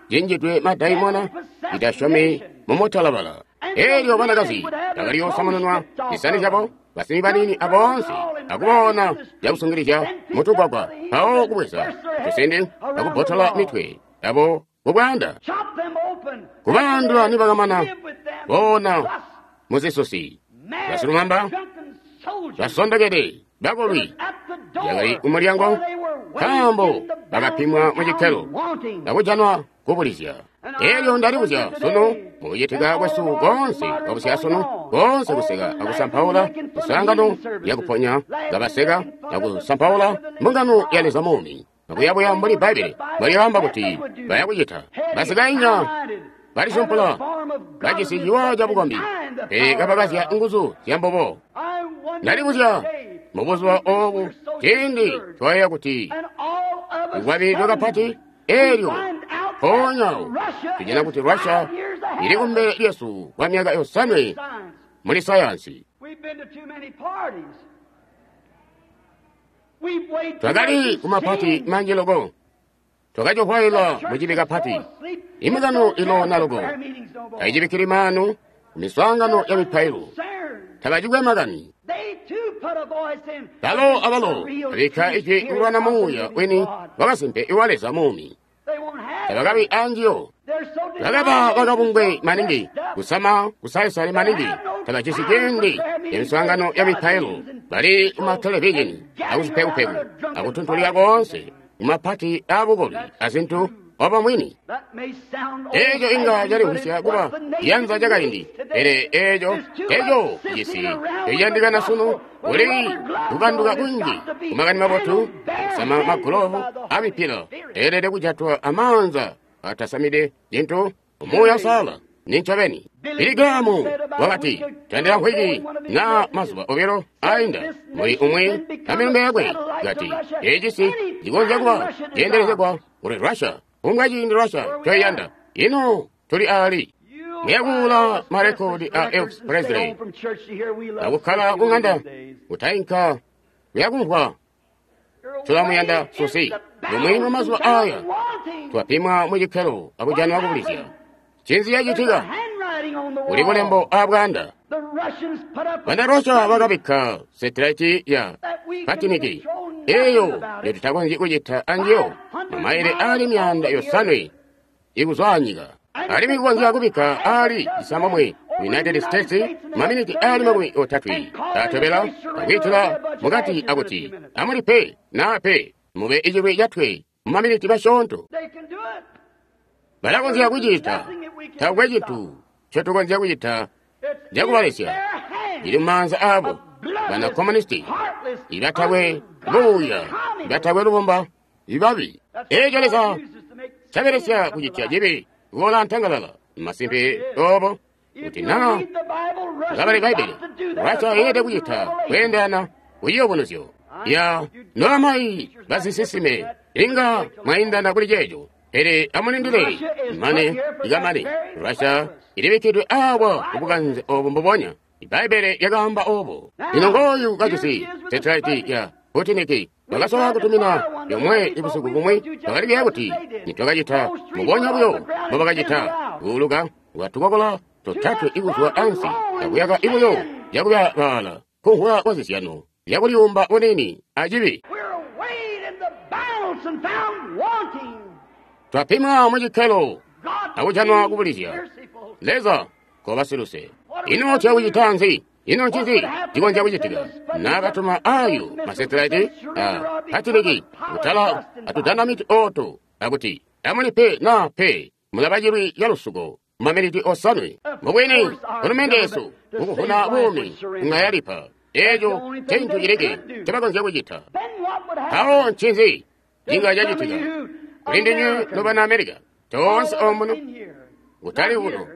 [SPEAKER 1] cinjidwe madaimona citasyomi mumutalabala. Elyo banakazi bakali kuyoosamununwa zisani zyabo, basimi baniini aboonse, akubona cakusungilizya mutugwagwa, mpawo kubweza tusindi akubbotola mitwe yabo kubwaanda, kubaandula nibakamana boona muzisusi. Basilumamba basondokede bakolwi yakali kumulyango, nkaambo bakapimwa mu cikkelo akujanwa kubulizya. Elyo ndalibuzya sunu mukucitika kwesu koonse kwabusyasunu, koonse kuseka akusampaula miswaangano yakuponya, kabaseka akusampaula mbungano ya Leza muumi, akuyabuya mbuli Bbaibbele mbwalyaamba kuti bayakucita. Basikainya balisumpula bajisi ciwa cabukombi, pele kabakazya nguzu zyambubo. Ndalibuzya mubuzuba oobu ciindi twayeeya kuti tukwabilidwe kapati, elyo mpoonyawo tujana kuti Russia ili kumbele lyesu kwa myaka 5 muli sayansi. Twakali kumapati manji loko, twakacihwaila mucibi kapati. Imikano iloona loko taicibikkili maanu kumiswaangano ya mipailo, tabacikwe makani. Balo abalo babikka ijwi kulwana muuya wini wakasimpe iwa Leza muumi. Tabakabi anjiyo. Bakaba bakabungwe maningi, kusama kusaisale maningi, tabajisi ciindi ya miswaangano ya mipailo, bali kumatelevizhini akuzipekupeku akutuntulika koonse kumapati aabukolwi azintu obo mwini. Eeco inga calimvwisya kuba ciyanza cakaindi, pele eeco eco cisi eciyandikana sunu. Kuli kukanduka kunji kumakani mabotu, kusama magulovu amipila eelede kujatwa amaanza atasamide cintu umuuya usala Nincobeni. Billy Graham wakati, tandila nkwiki na mazuba obilo ainda muli umwi amilumbe yakwe kati, ecisi cikonzya kuba ceendelezegwa kuli Russia. Unga ciindi Russia coyanda. Ino tuli ali. Muyakuula marekodi a Elvis Presley. Akukkala kung'anda kutainka kuyakumvwa tulamuyanda Susi. Lumwi mu mazuba aya twapimwa mu cikkelo akujanwa kubulizya. Ncinzi cacitika? Kuli bulembo abwanda. Bana Russia bakabikka setilaiti ya Patiniki eyo yotutakonzyi kucita anjiyo mamaile ali 500 ikuzwa nyika. Alimwi kukonzya kubikka ali 9 United States maminiti ali 30 atobela akwiitila mukati akuti amulipe na pe mube icilwi catwe mumaminiti masyoonto. Balakonzya kucita. Taakwe cintu ncotukonzya kucita cakubalesya. Ili mumaanza aabo bana komunisti ibatakwe buuya, ibatakwe lubomba, ibabi. Eeco Leza cabelesya kucitya cibi kuboola ntangalala. Masimpe obo kuti naa ngabale Bbaibbele, Russia yeelede kucita kweendelana kuciyubunuzyo ya noamayi basisisime inga mwaindana kuli ceeco. Pele amulindile mane ikamane. Russia ilibikkidwe awa kubukanze obu mbubonya. Bbaibbele lyakaamba obo. Lino ngooyu kajisi setilaiti ya Putiniki bakasola kutumina yomwe ibusiku bumwi bakalibiya kuti nitwakacita mubonya buyo mbobakacita kuuluka lwatukokola totatwe ikuzwa ansi akuyaka ibuyo yakuyabaala kunhula kwa zizyano yakuliyumba bunini acibi. Twapimwa mu cikkelo akujanwa kubulizya. Leza koba siluse. Ino tuyakucita nzi? Ino ncinzi cikonzya kucitika? Naakatuma ayo masetilaiti a Patiniki kutala atudanamiti oto akuti amulipe na pe mulaba cilwi ca lusuko maminiti 7. Mubwini hulumende yesu mukuvuna buumi nga yalipa. Eeco ncintu cilikke ncobakonzya kucita. Mpawo ncinzi cinga cacitika kuli ndinywe nobana America toonse omuno kutali kuno.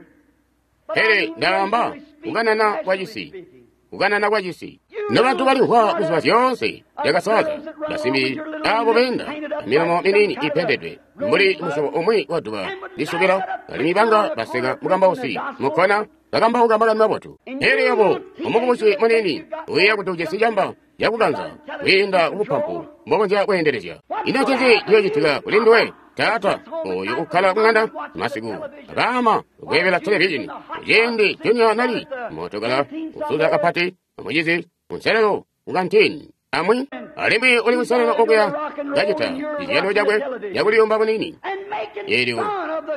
[SPEAKER 1] Pele ndaamba kukanana kwa cisi, kukanana kwa cisi. Nobantu balimvwa kuziba zyoonse zyakasaza basimbi abo beenda amilomo minini ipendedwe mbuli musyobo umwi wa duba lisubila alimwi banga baseka mukambausi mukkona bakambauka makani mabotu. Pele yabo omukubusi munini uyeeya kuti ujisi camba cakukanza kwiinda kubupampu mbokonzya kweendelezya. Ino ncinzi ciyoocitika kuli nduwe? Taata oyo ukkala kung'anda masiku abaama ukweebela televizhini kuciindi Junior nali mootokala usuza kapati amucizi kunselelo kukantini amwi alimwi uli kunselelo okuya kacita cizyano cakwe cakuliyumba bunini. Eelyo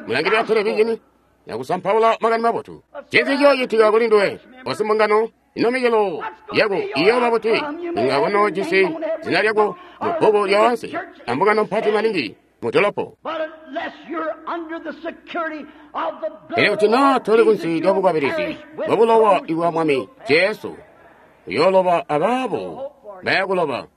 [SPEAKER 1] mulangilira televizhini nakusampaula makani mabotu. Ncinzi ciyoocitika kuli nduwe osimbungano? Ino micelo yako iyooba buti? Inga konoojisi zina lyako mu bbuku lyoonse ambungano mpati maningi mudolopo. Pele kuti naa toli kunsi lya bukwabilizi bwa bulowa ibwa Mwami Jesu, uyooloba abaabo bayakuloba.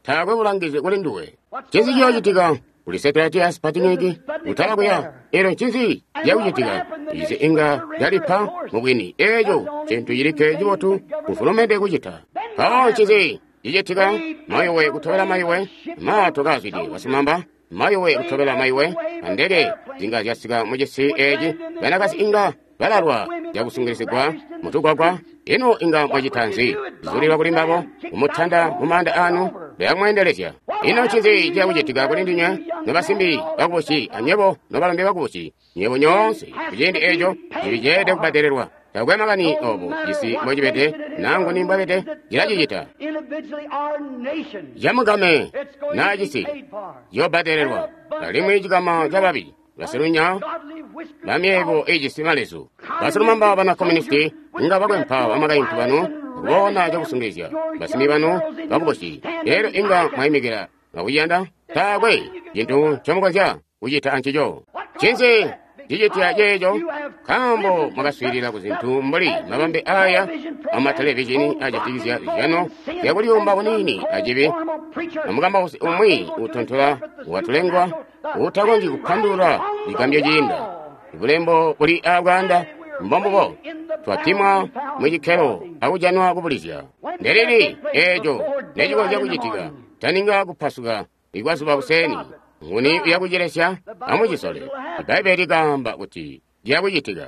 [SPEAKER 1] Taakwe bulangizi kuli nduwe. Ncinzi ciyoocitika kuli setilaiti ya Sputnik kutala kuya? Eelyo ncinzi cakucitika? Izi inga calipa mubwini. Eeco cintu cilikke cibotu kufulumende kucita. Mpawo ncinzi cicitika? Mayowe kutobela mayowe, maato kaazwide basimamba. Mayowe kutobela mayowe, andeke zinga zyasika mucisi eeci, banakazi inga balalwa zyakusungilizigwa mutugwagwa. Ino inga mwacita nzi? Zulilwa kuli mbabo, kumutanda mumaanda anu, bayamweendelezya. Ino ncinzi ciyakucitika kuli ndinywe nobasimbi bakubusi anywebo nobalombe bakubusi, nywebo nyoonse kuciindi eeco ciliceede kubbadelelwa. Taakwe makani obo cisi mbocibede nangu ni mbwabede cilacicita. Camugame naa cisi ciyobbadelelwa, alimwi cikama cababi basilunya bamyeebo ijisi malezu. Basilumamba bana komunisti inga bakwempa bamakaintu banu kubona cakusungilizya basimbi banu bakubusi. Elyo inga mwaimikila akuyanda taakwe cintu ncomukonzya kucita ancico. Ncinzi cicitya ceeco? Nkaambo mwakaswiilila ku zintu mbuli mabambe aya amatelevizhini ajatikizya zizyano zyakuliyumba bunini acibi, amukambausi umwi utontola watulengwa uutakonzyi kupandulula cigambyo ciinda. Bulembo buli abwaanda Mbombubo. Twapimwa mu cikkelo akujanwa kubulizya. Ndelili eeco necikonzya kucitika? Taninga kupasuka ikwazuba kuseni. Nguni uyakucilesya? Amucisole. Ibbaibbele likaamba kuti ciyakucitika.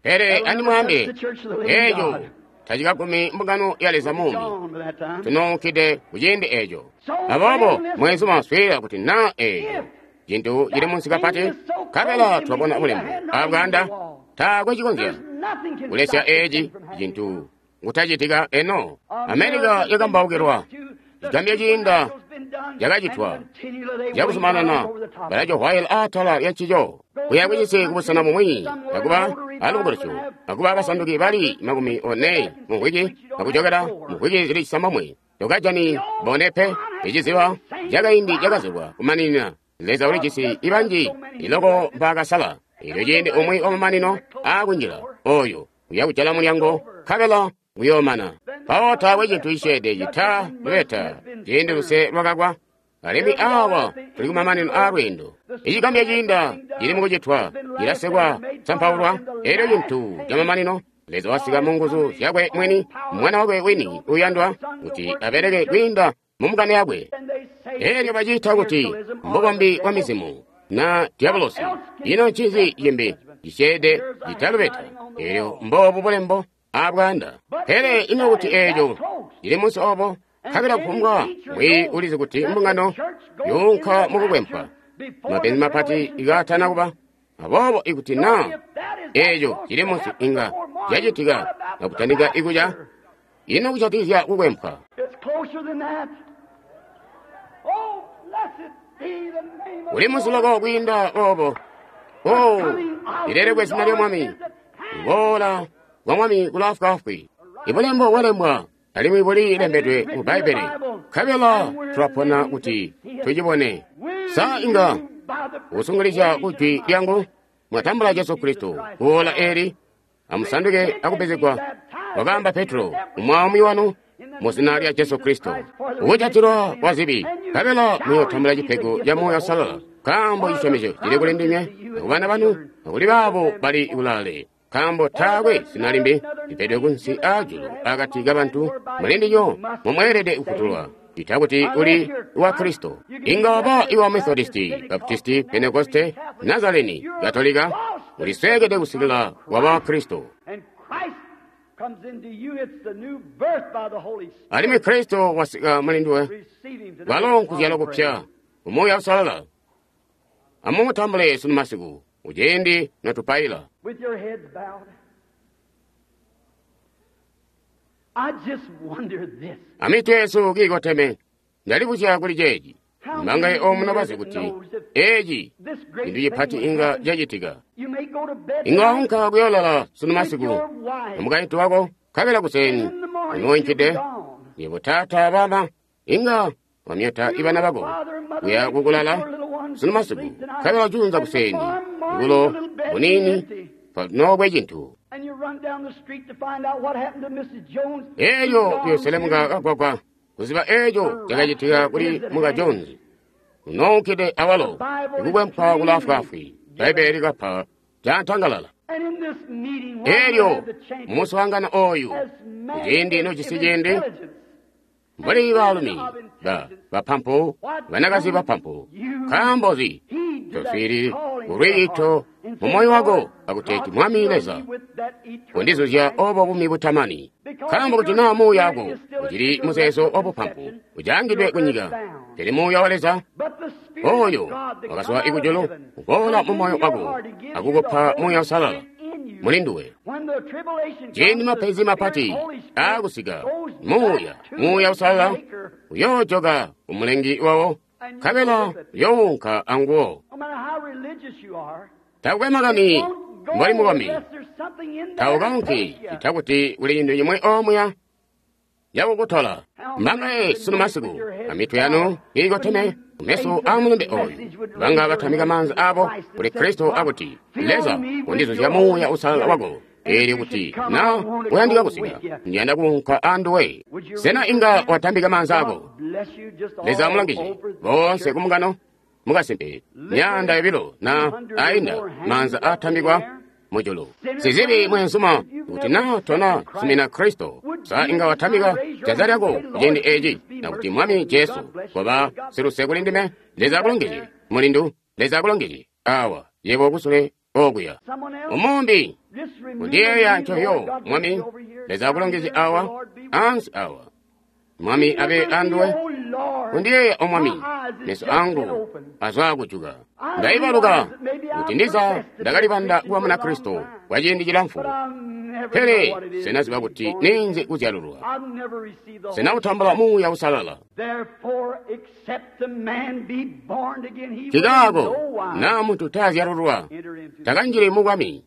[SPEAKER 1] Pele andimwaambile, eeco tacikagumi mbungano ya Leza muumi. Tunoonkide kuciindi eeco. Aboobo mweenzuma swiilila kuti naa eeco cintu cili munsi kapati, nkabela twabona bulembo abwaanda, taakwe cikonzya kulesya eeci cintu kutacitika eno. Amerika yakambaukilwa, cigambyo ciinda cakacitwa cakuzumanana balacohwaila atala lya ncico kuya kucisi kubusena bumwi akuba alubukulusyo akuba basanduki bali 40 mu mvwiki akujokela mu mvwiki zili 9 tokajani bone pe. Iciziba cakaindi cakazibwa kumaninina. Leza ulijisi ibanji iloko mpaakasala. Elyo ciindi umwi wamamanino aakunjila oyo uyakujala mulyango nkabela uyoomana. Mpawo taakwe cintu cisyeede cita lubeta ciindi luse lwakakwa. Alimwi awa tuli kumamanino aalweendo. Icigambyo ciinda cili mukucitwa, cilasekwa, sampaulwa. Elyo cintu camamanino, Leza wasika mu nguzu zyakwe mwini, mwana wakwe wini uyandwa kuti abeleke kwiinda mu mbungano yakwe. Elyo baciita kuti mbukombi bwa mizimu na diabolosi. Ino ncinzi cimbi cisyeede citalubeta? Elyo mboobu bulembo abwaanda. Pele ino kuti eeco cili munsi obo, nkabela kufumbwa mwi ulizi kuti mbungano yuunka mukukwempwa, mapenzi mapati ikaatana kuba. Aboobo ikuti naa eeco cili munsi inga cacitika akutandika ikuca, ino kujatikizya kukwempwa? Uli munsi loko kwiinda obo. Oh, lilelekwe zina lya Mwami. Kuboola kwa Mwami kulaafwaafwi. Ibulembo bwalembwa alimwi buli lembedwe mu Bbaibbele, nkabela tulapona kuti tucibone. Sa inga kusungilizya kujwi lyangu mwatambula Jesu Kristo kuola eli, amusanduke akupezegwa, wakaamba Petro, umwaamwi wanu mu zina lya Jesu Kristo, ukujatilwa kwa zibi, nkabela muyotambula cipego ca Muuya Uusalala, nkaambo cisyomezyo cili kuli ndinywe akubana banu akuli baabo bali kulaale. Nkaambo taakwe zina limbi lipedwe kunsi aajulu akati kabantu muli ndilyo momweelede kufutulwa, ita kuti uli wa Kristo. Inga waba iwa Methodisti, Baptisti, Pentekoste, Nazareni, Katolika, uliswekede kusikila waba wa Kristo. Alimwi Kristo wasika muli nduwe, kwalo nkuzyalwa kupya Umuuya Uusalala. Amumutambule sunu masiku kuciindi notupaila.
[SPEAKER 2] With your heads bowed, I just wonder this.
[SPEAKER 1] Amitwe yesu kiikoteme, ndalibuzya kuli ceeci. Mbangaye omuno bazi kuti eeci cintu cipati inga cacitika. Inga waunka kuyoolala sunu masiku amukaintu wako, nkabela kuseni unoinkide yebo taata bama inga wamyata ibana bako kuya kukulala sunu masiku, nkabela junza kuseni bulo bunini nobwe cintu. Elyo kuyoselemuka kagwagwa kuziba eeco cakacitika kuli muka Jones unoonkide awalo ikukwempwa kulaafwaafwi. Bbaibbele likapa cantangalala. Elyo mumuswaangano oyu kuciindi nocisi ciindi, mbuli baalumi bapampu, banakazi bapampu, nkaambo zi toswiili kulwiito mu moyo wako akuteeti Mwami Leza kundizuzya obo bumi butamani. Nkaambo kuti naa muuya wako ucili muzeezo wabupampu ujaangidwe kunyika, pele muuya wa Leza oyo wakazwa ikujulu uboola mu moyo wako akukupa Muuya Uusalala muli nduwe. Ciindi mapenzi mapati aakusika, Muuya Uusalala uyoojoka kumulengi wawo, nkabela uyoowunka anguwo. Takukwe makani mboli mukomi, taukaunki cita kuti kuli cintu cimwe omuya cakukutola. Mbangaye sunu masiku amitwe yanu iikoteme kumeso a mulumbe oyu, banga batamika maanza abo kuli Kristo akuti, Leza kundizuzya Muuya Uusalala wako, eelyo kuti na uyandika kusika, ndiyanda kuunka anduwe. Sena inga watambika maanza ako? Leza amulangije boonse kumbungano mukasimpe, myaanda yobilo na ainda maanza atambikwa. mujulu. Sizibi mweenzuma, kuti na tona sumina Kristo, sa inga watamika janza lyako kuciindi eci, na kuti Mwami Jesu, koba siluse kuli ndime, Leza akulongezye, mulindu, Leza akulongezye, awa, yebo kusule okuya. Umumbi, kundiyeeya ncoyo, Mwami, Leza akulongezye awa, ansi awa. Mwami abe anduwe, kundiyeeya o Mwami, meso angu azwaakujuka. Ndaibaluka kuti ndiza ndakalibanda kuba muna Kristo kwa ciindi cilamfu, pele sena kuti ninzi kuzyalulwa, sena kutambula Muuya Uusalala. Kikaako naa muntu taazyalulwa takanjili mu bwami,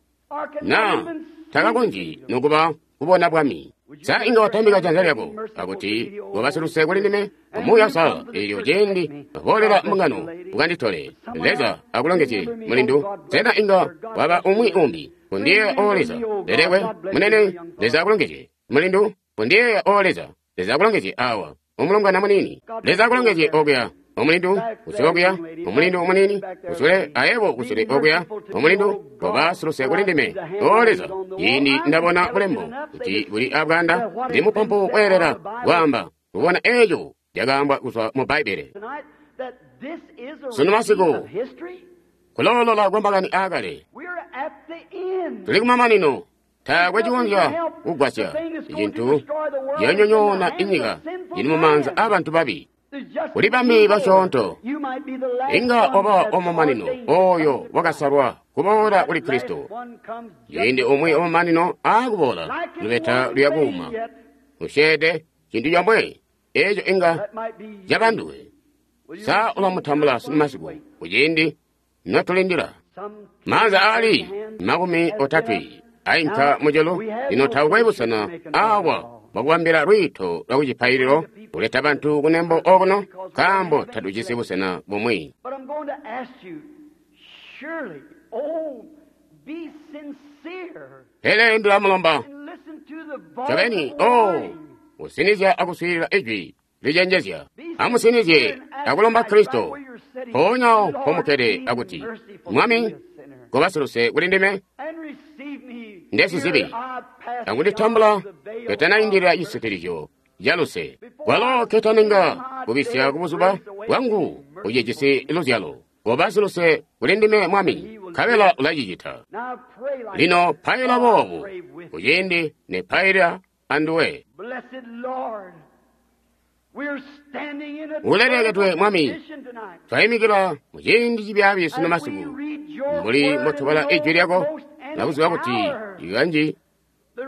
[SPEAKER 1] naa takakonzyi nokuba kubona bwami. Sa inga watambika janza lyako akuti koba siluse kuli ndime Muuya Uusalala, eelyo ciindi boolela mbungano ukanditole. Leza akulongezye mulindu. Sena inga waba umwi umbi kundiyeeya o Leza? Lelekwe munene. Leza akulongezye mulindu. Kundiyeeya o Leza. Leza akulongezye awa umulongwana munini. Leza akulongezye okuya omulindu kusule okuya omulindu omunini kusule ayebo kusule okuya omulindu koba siluse kuli ndime o Leza. Ciindi ndabona bulembo kuti buli abwanda, ndi mupampu kweelela kwaamba kubona eeco lyakaambwa kuzwa mu Bbaibbele. Sunu masiku kuloolola kwa makani aakale, tuli kumamanino. Taakwe cikonzya kugwasya icintu ciyonyonyoona inyika cili mumaanza aabantu babi. Kuli bami basyoonto, inga oba omumanino oyo wakasalwa kuboola kuli Kristo. Ciindi umwi omumanino aakuboola, lubeta luyakuuma. Usyeede cintu comwe, eeco inga cabanduwe. Sa ulamutambula sunu masiku kuciindi notulindila? Maanza aali 30 ainka mujulu. Lino taakwe busena awa bwakubambila lwiito lwa kucipaililo kuleta bantu kunembo okuno, nkaambo tatujisi busena bumwi. Pele ndilamulomba ncobeni, o kusinizya akuswiilila ijwi licenjezya. Amusinizye akulomba Kristo mpoonya mpomukkede akuti, Mwami, koba siluse kuli ndime ndesizibi, akunditambula ketanaindilila cisitilizyo caluse, kwalo ketaninga kubisya kubuzuba bwangu ucijisi luzyalo. Koba siluse kuli ndime Mwami, nkabela ulacicita. Lino paila boobu kuciindi nepaila anduwe. Ulelekedwe Mwami, twayimikila muciindi cibyaabi sunu masiku, mbuli mbotubala ijwi lyako nakuziba kuti ikanji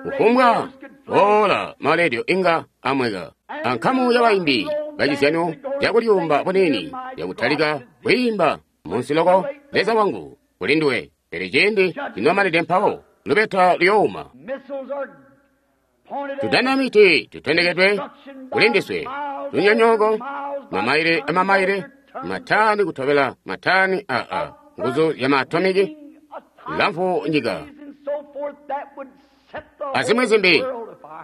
[SPEAKER 1] kufumbwa boola maledio inga amweka. Ankamu y'abayimbi bacizyano cakulyumba bunini yakutalika kwiimba munsi loko, Leza wangu kuli nduwe. Pele ciindi cinomanide mpawo lubeta luyouma. Tudanamiti tutendekedwe kuli ndiswe, lunyonyooko, mamaile amamaile, matani kutobela matani aa nguzu zya maatomiki, lamfu nyika azimwi zimbi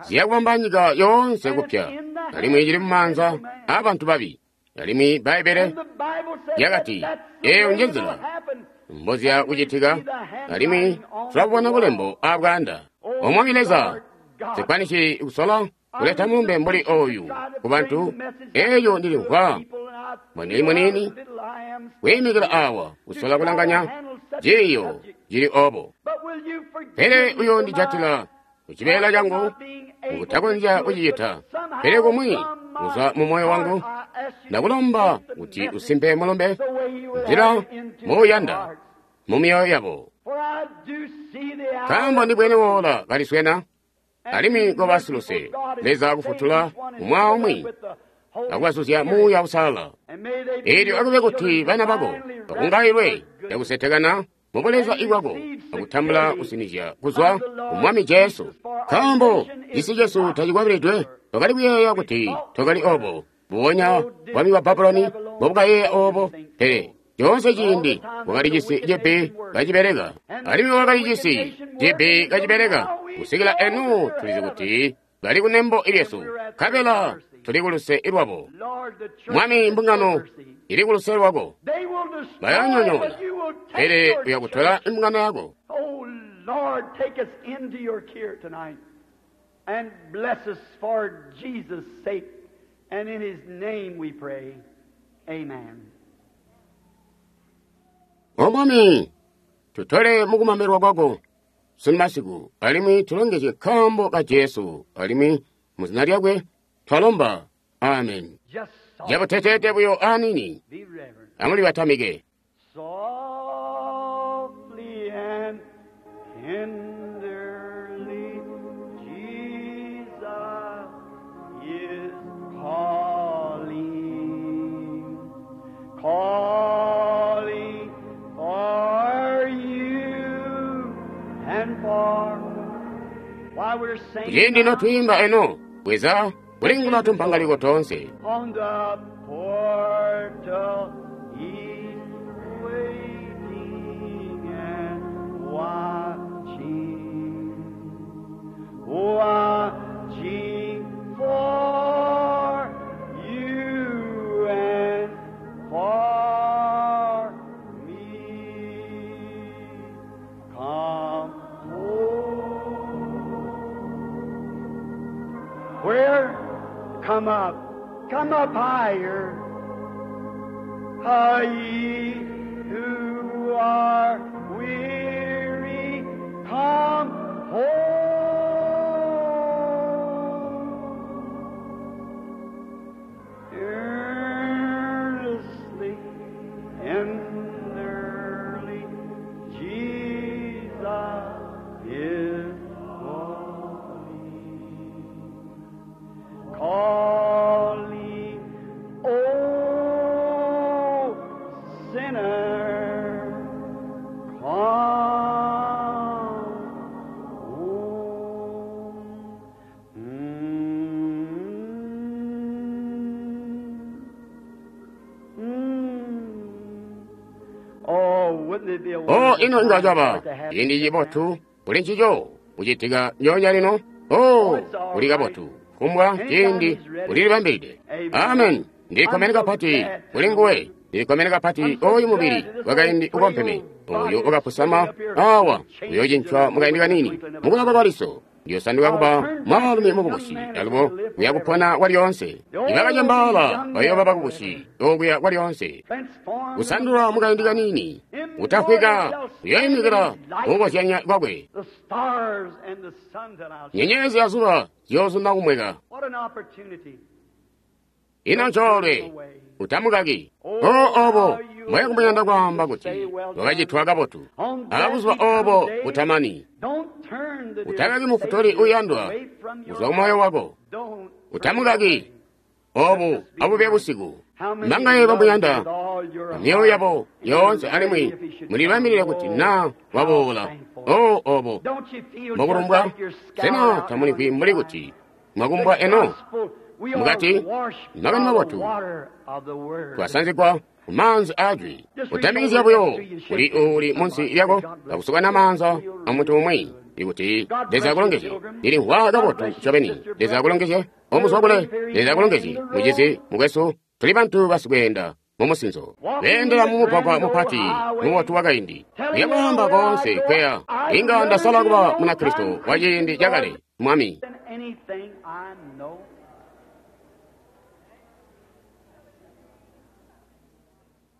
[SPEAKER 1] ziyakubamba nyika yoonse kupya, alimwi cili mumaanza aabantu babi. Alimwi Bbaibbele lyakati eeyo nje nzila mboziya kucitika, alimwi tulabubona bulembo abwaanda. O Mwami Leza, sikwanisi kusola kuleta mulumbe mbuli oyu ku bantu, eeyo ndilimvwa mbonili muniini kwiimikila awa kusola kulanganya ciiyo cili obo. Pele uyoondijatila kucibeela cangu mukutakonzya kucicita, pele kumwi kuzwa mu moyo wangu ndakulomba kuti usimpe mulumbe nzila muuyanda mu myoyo yabo. Nkaambo ndibwene woola kaliswena, alimwi koba siluse, Leza akufutula umwi aumwi akubazuzya Muuya Uusalala. Eelyo akube kuti bana bako bakungailwe cakusetekana mubuleza bwako akutambula kusinizya kuzwa ku Mwami Jesu. Nkaambo cisi cesu tacikwabilidwe, twakali kuyeeya kuti twakali obo, mbubonya bwami bwa Babuloni mbobukayeeya obo, pele coonse ciindi wakali cisi cibi kacibeleka, alimwi wakali cisi cibi kacibeleka kusikila enu tulizi kuti bali kunembo lyesu, nkabela tuli kuluse lwabo. Mwami, mbungano ili kuluse lwako, bayanyonyoona, pele uyakutola imbungano yako.
[SPEAKER 2] Lord, take us into your care tonight and bless us for Jesus' sake. And in His name we pray. Amen.
[SPEAKER 1] O Mwami, tutole mukumamelwa kwako sunu masiku, alimwi tulongezye nkaambo ka Jesu, alimwi mu zina lyakwe twalomba. Amen.
[SPEAKER 2] Just soft.
[SPEAKER 1] Jabuteteete buyo anini,
[SPEAKER 2] Be reverent.
[SPEAKER 1] amulibatamike.
[SPEAKER 2] Softly and tenderly, Jesus is calling, calling for you and for. While we're singing
[SPEAKER 1] Kuciindi
[SPEAKER 2] now,
[SPEAKER 1] notwiimba eno, bweza kulingula tumpangaliko tonse.
[SPEAKER 2] on the portal, he's waiting and watching, watching for you and for me. Come home. Where? Come up. Come up higher. Ah, ye who are weary, come home. Earnestly, tenderly, Jesus is calling. Calling, oh sinner, come home. Oh, wouldn't it be a
[SPEAKER 1] O
[SPEAKER 2] wonderful
[SPEAKER 1] ino inga
[SPEAKER 2] time
[SPEAKER 1] caba
[SPEAKER 2] to have
[SPEAKER 1] ciindi
[SPEAKER 2] that
[SPEAKER 1] cibotu kuli ncico kucitika nyonya lino. O kuli kabotu kumbwa ciindi kulilibambilide. Amen. Ndikkomene kapati kuli nguwe, ndikkomene kapati oyu mubili wakaindi ukompeme oyu ukapusama awa uyocincwa mukaindi kanini mukulaba kwa liso ndiyosanduka kuba mwaalumi mukubusi alubo uyakupona kwalyoonse. Ibakacembaala bayooba bakubusi okuya kwalyoonse.
[SPEAKER 2] Transform
[SPEAKER 1] Kusandula mukaindi kanini utafwika uyoyimikila mukukozyanya kwakwe.
[SPEAKER 2] the stars and the sun that I'll
[SPEAKER 1] Nyenyezi ya zuba ziyozunda kumweka.
[SPEAKER 2] What an opportunity.
[SPEAKER 1] Ino ncoolwe utamukaki. O obo mwe kumuyanda kwaamba kuti wakacitwa kabotu abuzuba obo butamani.
[SPEAKER 2] Don't turn the
[SPEAKER 1] Utakaki mufutuli uyandwa
[SPEAKER 2] away from your
[SPEAKER 1] kuzwa kumoyo wako.
[SPEAKER 2] Don't
[SPEAKER 1] Utamukaki obu abube busiku.
[SPEAKER 2] How many
[SPEAKER 1] Mangaye
[SPEAKER 2] love
[SPEAKER 1] bamuyanda
[SPEAKER 2] with all your
[SPEAKER 1] myoyo
[SPEAKER 2] heart?
[SPEAKER 1] yabo yoonse alimwi mulibambilile kuti na waboola. O obo
[SPEAKER 2] Don't you feel just
[SPEAKER 1] mukulumbwa
[SPEAKER 2] like you're scoured
[SPEAKER 1] sena
[SPEAKER 2] out
[SPEAKER 1] tamulimvwi
[SPEAKER 2] on
[SPEAKER 1] mbuli
[SPEAKER 2] the
[SPEAKER 1] kuti mwakumbwa eno
[SPEAKER 2] gospel? We are
[SPEAKER 1] mukati
[SPEAKER 2] washed
[SPEAKER 1] makani
[SPEAKER 2] by the
[SPEAKER 1] mabotu
[SPEAKER 2] water of the word.
[SPEAKER 1] twasanzigwa kumaanzi ajwi utamikizya buyo kuli uuli munsi lyako akusukana maanza amuntu umwi ikuti Leza akulongezye. Ndilimvwa kabotu ncobeni. Leza akulongezye omuzwa kule. Leza akulongezye mucizi mukwesu. Tuli bantu basikweenda mumusinzo beendela mumugwagwa mupati mubotu wakaindi uyakwaamba koonse kweya inga ndasala kuba munakristo wa ciindi cakale mwami.
[SPEAKER 2] Than anything I know.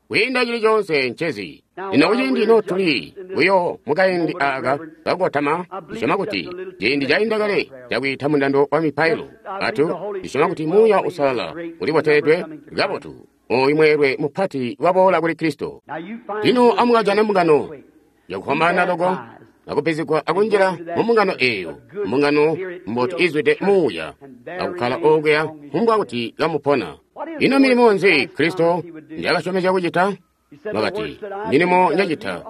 [SPEAKER 1] Kwiinda chili chonse nchezi lino kuciindi ino tuli buyo mukaindi aka kakukotama ndisyoma kuti ciindi cainda kale cakwiita mundando wa mipailo atu ndisyoma kuti muuya usalala uliboteledwe kabotu oyu mweelwe mupati waboola kuli Kristo.
[SPEAKER 2] Now you find
[SPEAKER 1] Lino amukajane mbungano yakufwambaana loko akupezegwa akunjila mu mbungano eeyo, mbungano mbotu izwide muuya akukkala okuya kumbwa kuti kamupona. Ino milimo nzi Kristo ndyakasyomezya kucita? Wakati, milimo njacita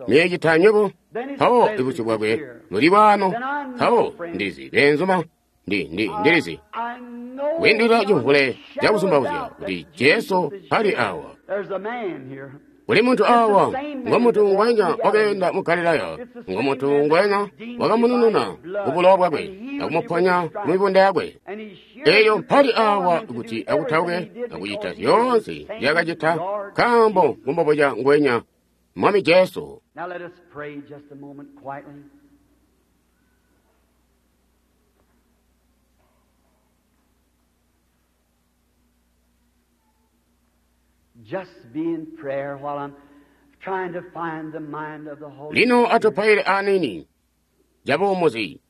[SPEAKER 1] muyecita nywebo. Mpawo ibusyu bwakwe buli bwano. Mpawo ndizi beenzuma ndilizi
[SPEAKER 2] I know
[SPEAKER 1] kwiindilila cimvule
[SPEAKER 2] beyond
[SPEAKER 1] cakuzumbauzya
[SPEAKER 2] a shadow of
[SPEAKER 1] kuti
[SPEAKER 2] doubt that
[SPEAKER 1] Jesu
[SPEAKER 2] Jesus is
[SPEAKER 1] pali
[SPEAKER 2] here.
[SPEAKER 1] awa.
[SPEAKER 2] There's a man here.
[SPEAKER 1] Kuli muntu awa ngomuntu ngwenya wakaenda mu Galilaya, ngomuntu ngwenya wakamunununa kubulowa bwakwe akumuponya mu mibunda yakwe.
[SPEAKER 2] And he's here
[SPEAKER 1] Eyo
[SPEAKER 2] to
[SPEAKER 1] mpali
[SPEAKER 2] perform
[SPEAKER 1] awa
[SPEAKER 2] and to do
[SPEAKER 1] kuti
[SPEAKER 2] everything
[SPEAKER 1] akutauke
[SPEAKER 2] he did
[SPEAKER 1] akuchita
[SPEAKER 2] because he
[SPEAKER 1] zyonse
[SPEAKER 2] is the same
[SPEAKER 1] zyakachita
[SPEAKER 2] Lord
[SPEAKER 1] nkaambo ngumboboca ngwenya Mwami Jesu.
[SPEAKER 2] Now let us pray just a moment quietly.
[SPEAKER 1] Lino atupaile aniini cabuumuzi.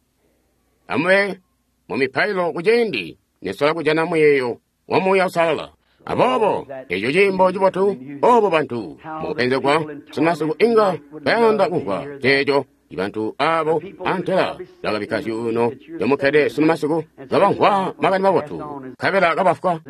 [SPEAKER 1] Amube mu mipailo kuciindi nesola kujana muyeeyo wa Muuya Uusalala. Aboobo eco ciimbo cibotu, obo bantu mukupenzegwa sunumasiku inga bayanda kumvwa ceeco. Ibantu abo antela bakabikka zyuuno zyomukkede sunumasiku kabamvwa makani mabotu nkabela kabafwa.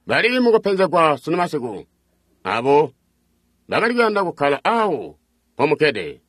[SPEAKER 1] Bali mukupenzegwa sunumasiku abo bakali kuyanda kukkala awo mpomukkede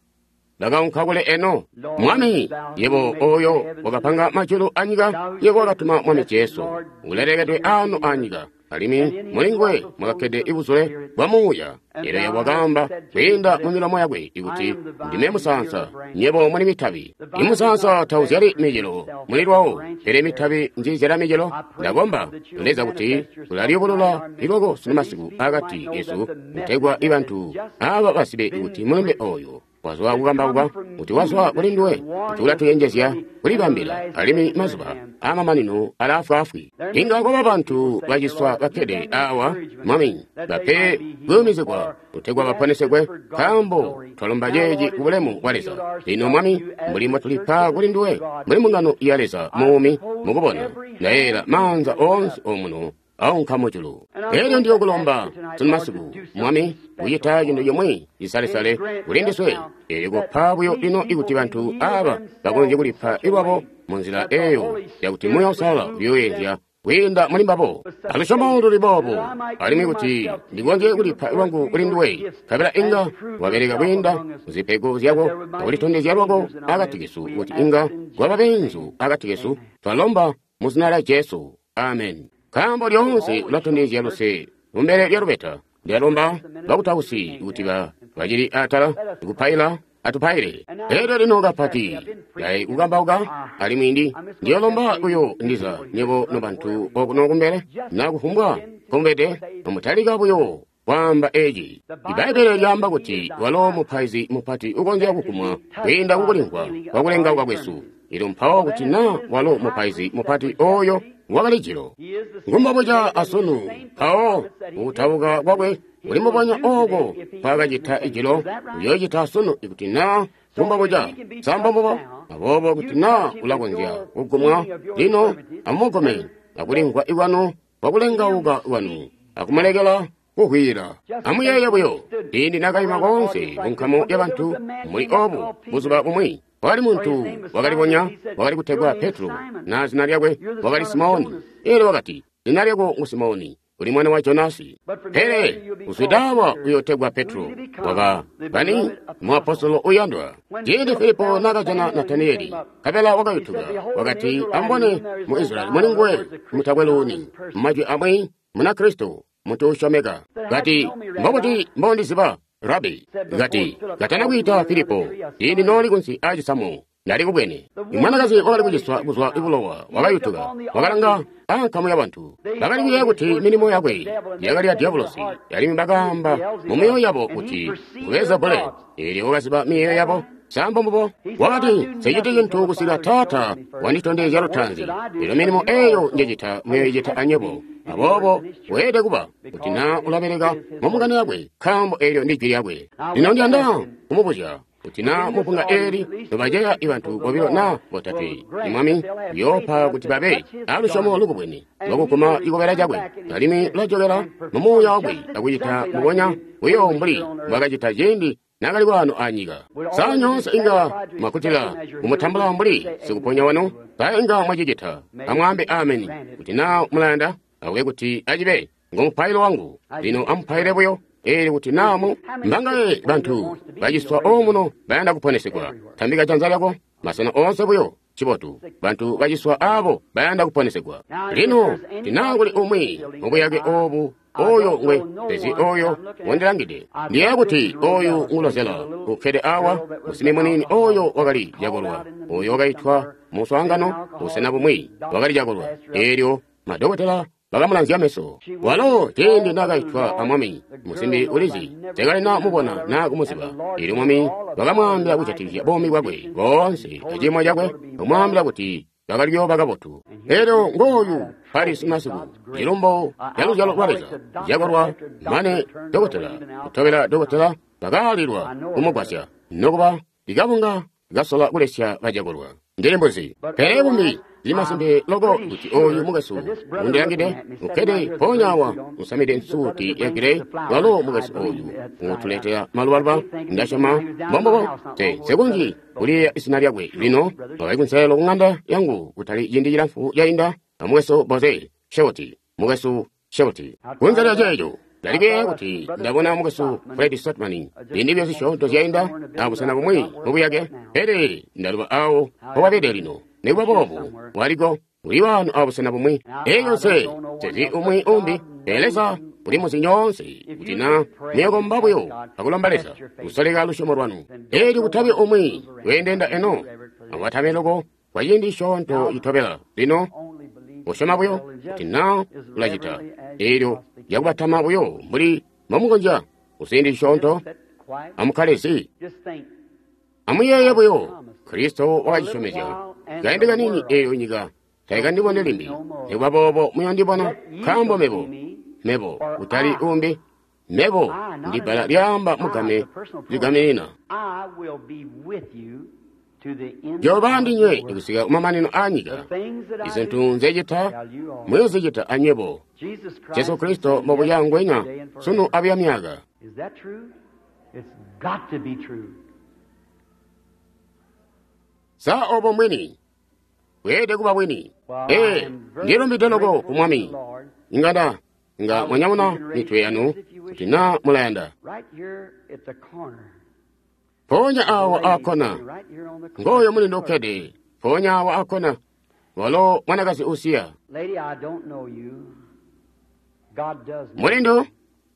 [SPEAKER 1] bakaunka kule eno. Mwami, yebo oyo wakapanga majulu anyika, yebo wakatuma Mwami Jesu ulelekedwe ano anyika, alimwi mulinguwe mwakakkede ibuzule bwa Muuya. Elyo yebo wakaamba kwiinda mu milomo yakwe ikuti ndime musaansa, nyebo muli mitabi. Imusaansa tauzyali micelo muli lwawo, pele mitabi njiizyala micelo. Ndakomba Leza kuti ulaliyubulula ilwako sunumasiku akati kesu, kutegwa ibantu aba bazibe kuti mulumbe oyo wazwa kukambauka, kuti wazwa kuli nduwe, kuti ulatuyenjezya kulibambila, alimwi mazuba aamamanino alaafwaafwi. Inga kwaba bantu baciswa bakkede awa, Mwami, bape kuyumizigwa kutegwa baponesegwe, nkaambo twalomba ceeci ku bulemu bwa Leza. Lino Mwami, mbuli mbotulipa kuli nduwe, mbuli mbungano ya Leza muumi, mukubona ndayeeyela maanza oonse omuno aunka mujulu. Elyo ndiyokulomba sunumasiku, Mwami, kucita cintu cimwi cisalesale kuli ndiswe, elyo kupa buyo lino ikuti bantu aba bakonzye kulipa ilwabo munzila eyo yakuti Muuya Uusalala uyooyenzya kwiinda muli mbabo. Alusyomo luli boobo, alimwi kuti ndikonzye kulipa lwangu kuli nduwe, nkabela inga wabeleka kwiinda muzipego zyako akulitondezya lwako akati kesu, kuti inga kwaba beenzu akati kesu. Twalomba mu zina lya Jesu. Amen. Nkaambo lyoonse ulatondezya luse kumbele lya lubeta. Ndalomba bakutausi kuti bacili atala kupaila, atupaile. Elyo lino kapati dai kukambauka, alimwi ndiyolomba kuyo ndiza nyebo nobantu okuno kumbele na kufumbwa nkomubede, nomutalika buyo kwaamba eci. Ibbaibbele lyaamba kuti walo mupaizi mupati ukonzya kukumwa kwiinda kukulimvwa kwakulengauka kwesu. Elyo mpawo kuti na walo mupaizi mupati oyo wakali jilo ngumbabuca asunu, mpawo kutauka kwakwe kuli mubonya oko kwakacita ijilo uyoocita asunu ikuti na ngumbabuca sambombubo. Aboobo kuti na ulakonzya kugumwa lino, amugume akulimvwa ikwanu kwakulengauka kwanu akumulekela kuhwila. Amuyeeye buyo ciindi nakaima koonse kunkamu yabantu muli obu buzuba bumwi, kwakali muntu wakalibonya wakali kutegwa Petro, na zina lyakwe wakali Simoni. Elyo wakati, zina lyako ngu Simoni, uli mwana wa Jonasi, pele uzwidawa uyotegwa Petro. Waka bani muapostolo uyandwa. Ciindi Filipo nakajana Nataniyeli, nkabela wakayutuka, wakati, amubone mu Israyeli muli nguwe mutakwe luuni. Mumajwi amwi, muna Kristo, muntu usyomeka. Kati, mbobuti mbondiziba, Rabi? Kati, katana kwiita Filipo, ciindi nooli kunsi aacisamu, ndali kubwene. Imwanakazi wakali kuciswa kuzwa ibulowa wakayutuka, wakalanga ankamu yabantu. Bakali kuyeeya kuti milimo yakwe yakali ya diabolosi, alimwi bakaamba mu myoyo yabo kuti nguBelzebule. Elyo wakaziba miyeeyo yabo. Sambo mbubo wakati, nseciti cintu kusika Taata wanditondezya lutaanzi. Elyo milimo eyo njecita muyoicita anyebo. Aboobo weelede kuba kuti na ulabeleka mu mbungano yakwe, nkaambo eelyo ndi jwi lyakwe. Lino ndiyanda kumubuzya kuti na mubunga eeli nobaceya ibantu bobilo na botatwe, Mwami uyoopa kuti babe alusyomo lukubwene lwakuguma cikobela cakwe, alimwi ulajokela mu muuya wakwe akucita mbubonya buyo mbuli mbwaakacita ciindi naakali waano anyika. Sa nyoonse inga mwakkutila kumutambula mbuli sikuponya wanu? Sa inga mwacicita? Amwaambe ameni kuti na mulayanda, akube kuti acibe ngomupailo wangu. Lino amupaile buyo eelyo kuti namu mbangaye bantu baciswa omuno bayanda kuponesegwa. Tambika janza lyako masena oonse buyo. Cibotu, bantu baciswa abo bayanda kuponesegwa. Lino tina kuli umwi mubuyake obu oyo ngwe pezi oyo wondilangide. Ndiyeeya kuti oyu ngulozela ukkede awa musimi muniini oyo wakali cakolwa, oyo wakaitwa muswaangano busena bumwi wakali cakolwa. Eelyo madokotela bakamulanzya meso. Walo ciindi naakaitwa a Mwami, musimbi ulizi, teekalina mubona naa kumuziba. Elyo Mwami wakamwaambila kujatikizya buumi bwakwe boonse aciimo cakwe, kumwaambila kuti bakali kuyooba kabotu. Elyo ngooyu pali simasiku, cilumbo ca luzyalo lwa Leza, cakolwa mane dokotela kutobela dokotela bakaalilwa kumugwasya, nokuba ikabunga kasola kulesya bacakolwa. Ndili mbuzi. Pele bumbi zili masimpe loko kuti oyu mukwesu undilangide ukkede mpoonya awa usamide nsuuti ya gireyi, walo mukwesu oyu utuletela malubaluba, ndasyoma mbombubo. Te nsekonzyi kuliyeeya izina lyakwe lino. Wakali kunselelo ku ŋanda yangu kutali ciindi cilamfu cainda, a mukwesu Boze Sheuti, mukwesu Sheuti. Kunze lya ceeco, ndali kuyeeya kuti ndabona mukwesu Fred Sothmann ziindi buyo zisyoonto zyainda abusena bumwi mubuyake, pele ndaluba awo mpobabede lino. Nikuba boobo, waliko uli waano abusena bumwi. Elyo nse sezi umwi umbi, pele Leza uli muzi nyoonse, kuti na muyokomba buyo akulomba Leza kusoleka lusyomo lwanu. Elyo kutabi umwi weendenda eno, amubatame loko kwa ciindi cisyoonto citobela. Lino usyoma buyo kuti na ulacita, elyo lyakubatama buyo mbuli mbomukonzya kuciindi cisyoonto, amukkale zi. Amuyeeye buyo, Kristo wakacisyomezya. Kaindi kaniini eyo nyika taikandibone limbi, nikuba boobo muyondibona, nkaambo mebo, mebo kutali umbi, mebo ndi bbala lyaamba mugame ligaminina. Njoba ndinywe kusika kumamanino aanyika. Izintu nzecita muyozicita anywebo. Jesu Kristo mbobuya ngwenya sunu abuya myaka. Sa obo mwini? Bweelede kuba bwini. Ee, ndilumbide loko ku Mwami. Ingada nga mwanyamuna mitwe yanu kuti naa mulayanda. Mpoonya awo akona, ngooyo mulindu ukkede, mpoonya awo akona, walo mwanakazi usiya. Mulindu,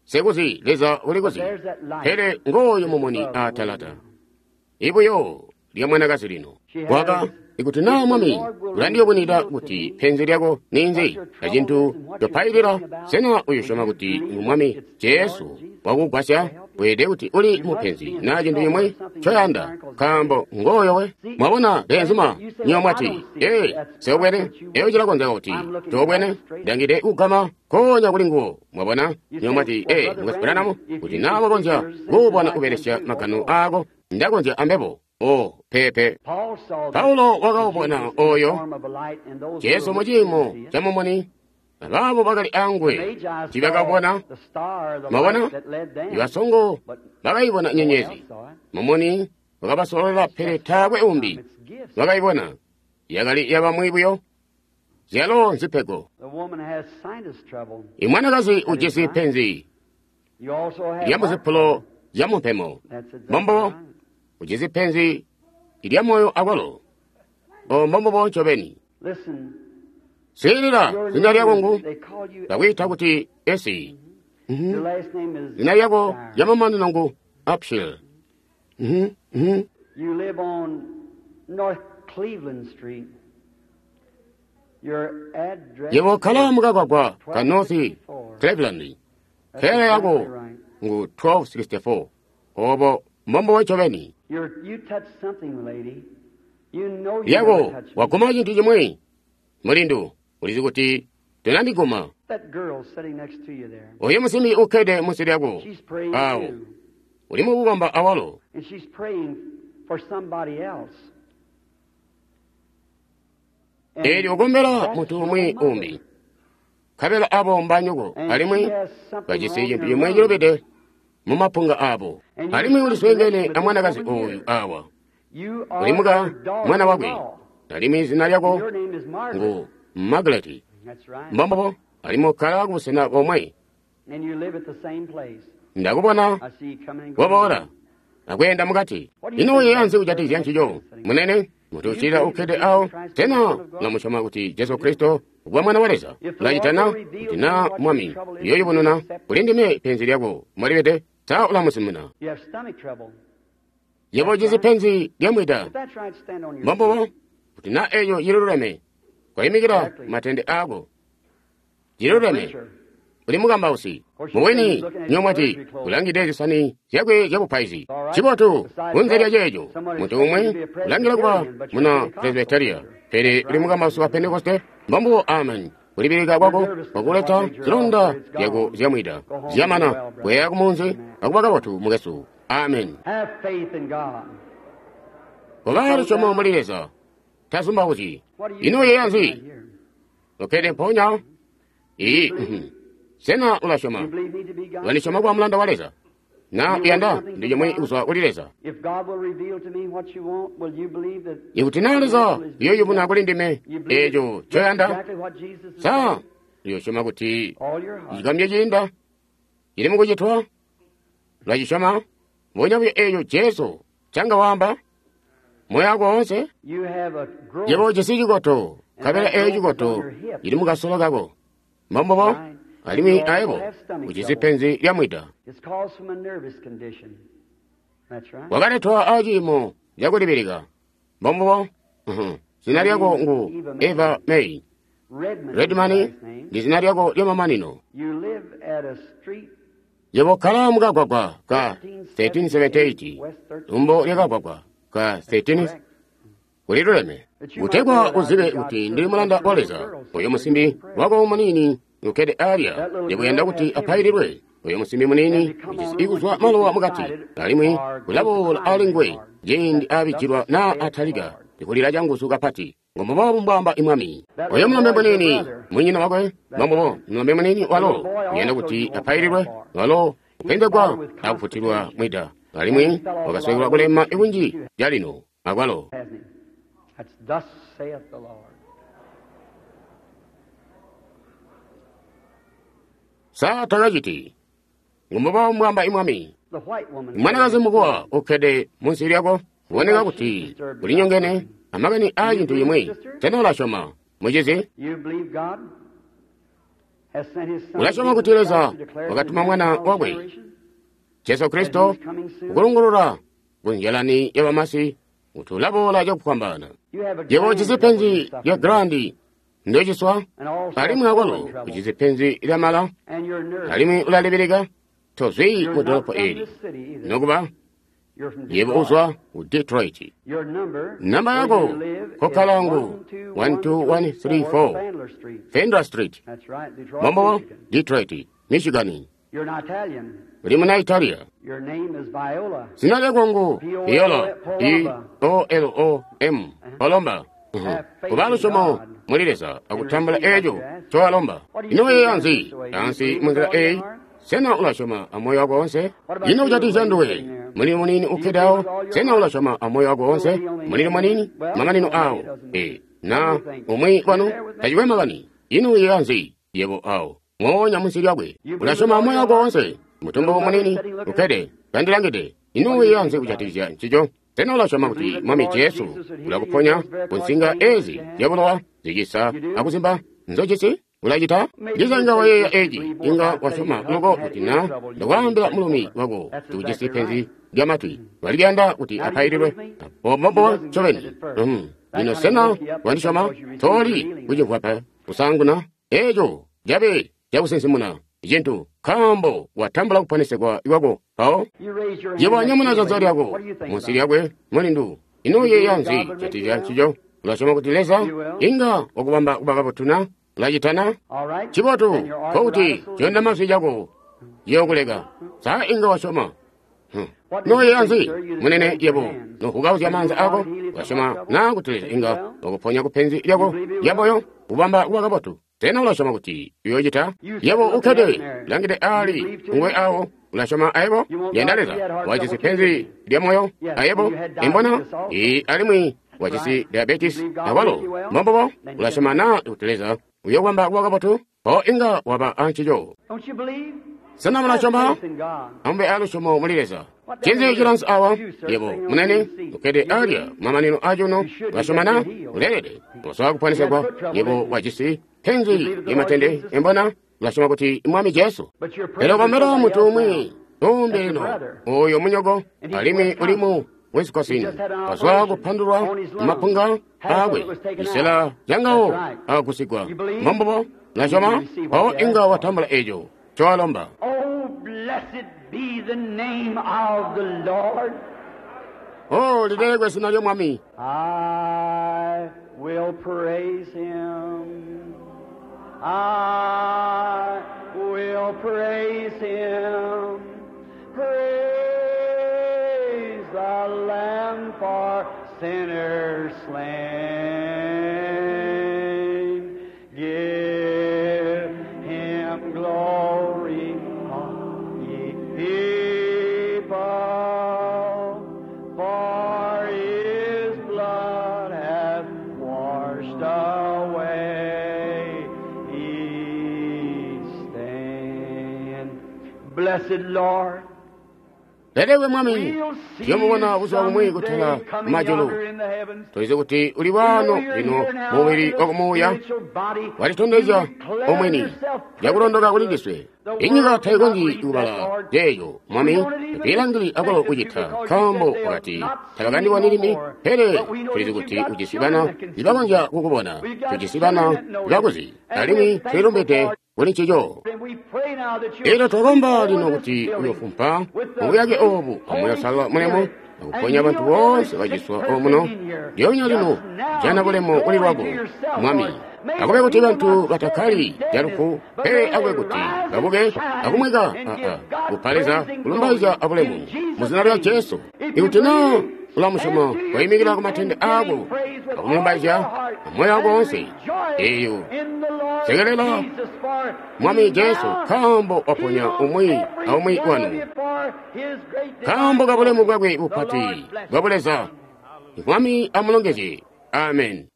[SPEAKER 1] sikuzi, Leza ulikuzi, pele ngooyo mumuni atalata. Ibuyo lya mwanakazi lino. Waka, ikuti naa Mwami ulandiyubunwida kuti penzi lyako ninzi, acintu copailila, sena uyosyoma kuti ngu Mwami Jesu wakugwasya? Weelede kuti uli mupenzi naa cintu cimwi ncoyanda, nkaambo ngooyo we. Mwabona beenzuma, nywebo mwati, ee, nseubwene. Eyo cilakonzeka kuti toobwene, ndangide kugama nkoonya kuli nguwo. Mwabona, nywebo mwati, ee, Mukwesu Branham, kuti naa wakonzya kuubona ubelesya magano aako, ndakonzya ambebo. Oh, pepe. Paulo wakaubona oyo Jesu muciimo ca mumuni, abaabo bakali angwe tiibakabona. Mwabona, ibasongo bakayibona nyenyezi, mumuni wakabasololela, pele taakwe umbi wakayibona. Yakali yabamwi buyo, zyalo nzipego. Imwanakazi ujisi penzi lyamuzipulo zyamumpemo, mbombo ujisi penzi lya moyo akwalo. O mbombubo ncobeni. Swiilila, zina lyako ngu bakwiita kuti Esi. Zina lyako lyamamanino ngu Apshil. Yebo ukkala mukagwagwa ka North Cleveland. Kkelela yako ngu 1264. Obo mbombubo ncobeni. Yako waguma cintu cimwi, mulindu, ulizi kuti tonandiguma. Oyo musimbi ukkede munsi lyako awo uli mukukomba awalo. Eelyo ukombela muntu umwi umbi, nkabela abo mbanyoko, alimwi bajisi cintu cimwi cilubide mumapunga abo. Alimwi ulisweengene amwanakazi oyu awa, uli muka mwana wakwe, alimwi zina lyako ngu Margaret. Mbombobo, alimwi ukkala kubusena bomwe. Ndakubona waboola akweenda mukati. Ino uyeeya nzi kujatikizya ncico, munene? Mutu uccilila ukkede awo, sena ulamusyoma kuti Jesu Kristo kuba Mwana wa Leza? Ulacita na? Kuti naa Mwami uyooyubununa kuli ndime penzi lyako mbolibede, sa ulamusimuna? Yebo ujisi penzi lyamwida. Mbombubo, kuti naa eeco cililuleme, koimikila matende aako. Ciluleme. Uli mukambausi. Mubwini, nywebo mwati, ulangide zisani zyakwe zyabupaizi. Cibotu, kunze lya ceeco, muntu umwi ulangila kuba muna Presbyteria, pele uli mukambausi wa Pentekoste. Mbombubo, amen. Kulibilika kwako kwakuleta zilonda zyako zyamwida zyamana. Bweya kumunzi akuba kabotu, mukwesu. Amen. Koba lusyomo muli Leza. Tazumbauzyi. Ino uyeeya nzi? Ukkede mpoonya. Iyi. Sena ulasyoma? Ulandisyoma kuba mulanda wa Leza? Na uyanda ndi chomwe kuzwa kuli Leza? Ikuti na Leza uyoyubuna kuli ndime eeco ncoyanda, sa uyosyoma kuti cikamye ciinda cili mukucitwa? Ulacisyoma? Mbonya buyo eeco Jesu canga waamba? Moyo wako woonse? Yebo ujisi cikoto, nkabela eeco cikoto cili mukasolo kako. Mbombubo? Alimwi ayebo ujisi penzi lya mwida. Wakaletwa aciimo cakulibilika. Mbombubo? Zina lyako ngu Eva May. Redman ndi zina lyako lyamamanino. Yebo kkala mukagwagwa ka 1378, lumbo lyakagwagwa ka 13 kuliluleme. Kutegwa uzibe kuti ndili mulanda wa Leza, oyo musimbi wako muniini ukkede alya ndikuyanda kuti apaililwe. Oyo musimbi muniini ujisi ikuzwa malowa mukati, alimwi ulaboola ali nguwe ciindi abijilwa naa atalika ndikulila canguzu kapati. Ngomuboobu mbwaamba imwami. Oyo mulombe muniini munyina wakwe, mbombubo mulombe muniini walo uyanda kuti apaililwe, walo upenzegwa akufutilwa mwida, alimwi wakaswekelwa kulema ikunji calino akwalo. Sa takaciti. Ngomuboobu mbwaamba imwami. Mwanakazi mukuwa ukkede munsi lyako, kuboneka kuti ulinyongene amakani aa cintu cimwi. Sena ulasyoma, mucizi? Ulasyoma kuti Leza wakatuma Mwana wakwe, Jesu Kristo, kukulungulula kunjalani yabamasi kuti ulaboola cakufwambaana. Yebo ujisi penzi lya grandi ndociswa, alimwi akwalo ujisi penzi lya mala, alimwi ulalibilika. Tozwi mu dolopo eli, nokuba yebo uzwa ku Detroit. Namba yako kokkala ngu 12134 Fender Street, Mombo, Detroit, Michigan. Uli muna Italia. Zina lyako ngu Viola, E O L O M, Palomba. Kuba lusyomo muli Leza akutambula eeco ncowalomba. Ino uyeeya nzi ansi munzila eeyi? Sena ulasyoma amoyo wako wonse? Ino kujatikizya nduwe, mulimi muniini ukkede awo? Sena ulasyoma amoyo wako wonse? Mulimi muniini, mamanino awo. Na umwi wanu tacikwe makani. Ino uyeeya nzi yebo awo moonya munsi lyakwe? Ulasyoma amoyo wako wonse? Mutumbu muniini ukkede kandilangide. Ino uyeeya nzi kujatikizya ncico? Sena ulasyoma kuti Mwami Jesu ulakuponya ku nsinga ezi zyabulowa zicisa akuzimba nzojisi? Ulacita? Ndiza inga wayeeya eci, inga wasyoma loko kuti na ndakwaambila mulumi wako kuti ujisi penzi lya matwi, walikuyanda kuti apaililwe. Mbombo ncobeni. Lino sena wandisyoma? Toli kucimvwa pe kusaanguna eeco cabe cakusinsimuna cintu, nkaambo watambula kuponesegwa kwako mpawo. Yebo wanyamuna janza lyako munsi lyakwe mulindu. Ino uyeeya nzi kujatikizya ncico? Ulasyoma kuti Leza inga wakubamba kuba kabotu na? Ulacitana? Cibotu, nkokuti coonda mazwi cako ciyookuleka. Sa inga wasyoma? Noyeeya nzi, munene yebo nohukauzya maanza ako? Ulasyoma na kuti Leza inga wakuponya kupenzi lyako lyamoyo kubamba kuba kabotu? Sena ulasyoma kuti uyoocita? Yebo ukkede langide ali nguwe awo. Ulasyoma ayebo? Yanda Leza wajisi penzi lya moyo ayebo imbona alimwi wajisi diabetes akwalo. Mbombobo ulasyoma na kuti Leza uyokwamba kuba kabotu? Mpawo inga waba ancico. Sena mulasyoma? Amube alusyomo muli Leza. Ncinzi cilansi awa? Yebo munene ukkede alya kumamanino acuno. Ulasyoma na? Uleelede usola kuponesegwa. Yebo wajisi penzi lyamatende imbona. Ulasyoma kuti Mwami Jesu. Pele kombela muntu umwi umbi lino, oyo munyoko, alimwi uli mu Wisconsin, wazwa kupandulwa mapunga aakwe, cisela cangawo akusigwa. Mbombubo. Ulasyoma? Mpawo inga watambula eco ncowalomba.
[SPEAKER 2] Oh, blessed be the name of the Lord.
[SPEAKER 1] Oh, lilelekwe zina lya Mwami.
[SPEAKER 2] I will praise him. I will praise him. Praise the Lamb for sinners slain. Give him glory, all ye people, for his blood hath washed away his stain. Blessed Lord,
[SPEAKER 1] Lelekwe Mwami.
[SPEAKER 2] we'll see
[SPEAKER 1] Tuyomubona
[SPEAKER 2] you
[SPEAKER 1] buzuba bumwi kutala
[SPEAKER 2] someday coming
[SPEAKER 1] majulu.
[SPEAKER 2] yonder in the heavens.
[SPEAKER 1] Tulizi kuti uli wano lino mumubiri wakumuuya walitondezya omwini lyakulondoka kuli ndiswe. Inyika taikonzyi kubala yeeyo Mwami tiilangili akwalo kucita nkaambo wakati tabakandiboni limbi, pele tulizi kuti ujisi bana ibakonzya kukubona, tujisi bana ibakuzi, alimwi tulilumbide kuli ncico. Elyo twakomba lino kuti uyofumpa mubuyake obu amoyo usalala mulemu akuponya bantu boonse baciswa omuno ndyonya lino jana bulemu kuli lwako Mwami. Akube kuti bantu batakkali calufu, pele akube kuti babuke akumweka kupa Leza kulumbaizya abulemu mu zina lya Jesu. Ikuti naa ulamusyoma, koimikila ku matende aako akumulumbaizya amoyo wako woonse. Eyo sekelela Mwami Jesu nkaambo waponya umwi aumwi wanu. Nkaambo kabulemu bwakwe bupati bwa Buleza. Mwami amulongezye. Amen.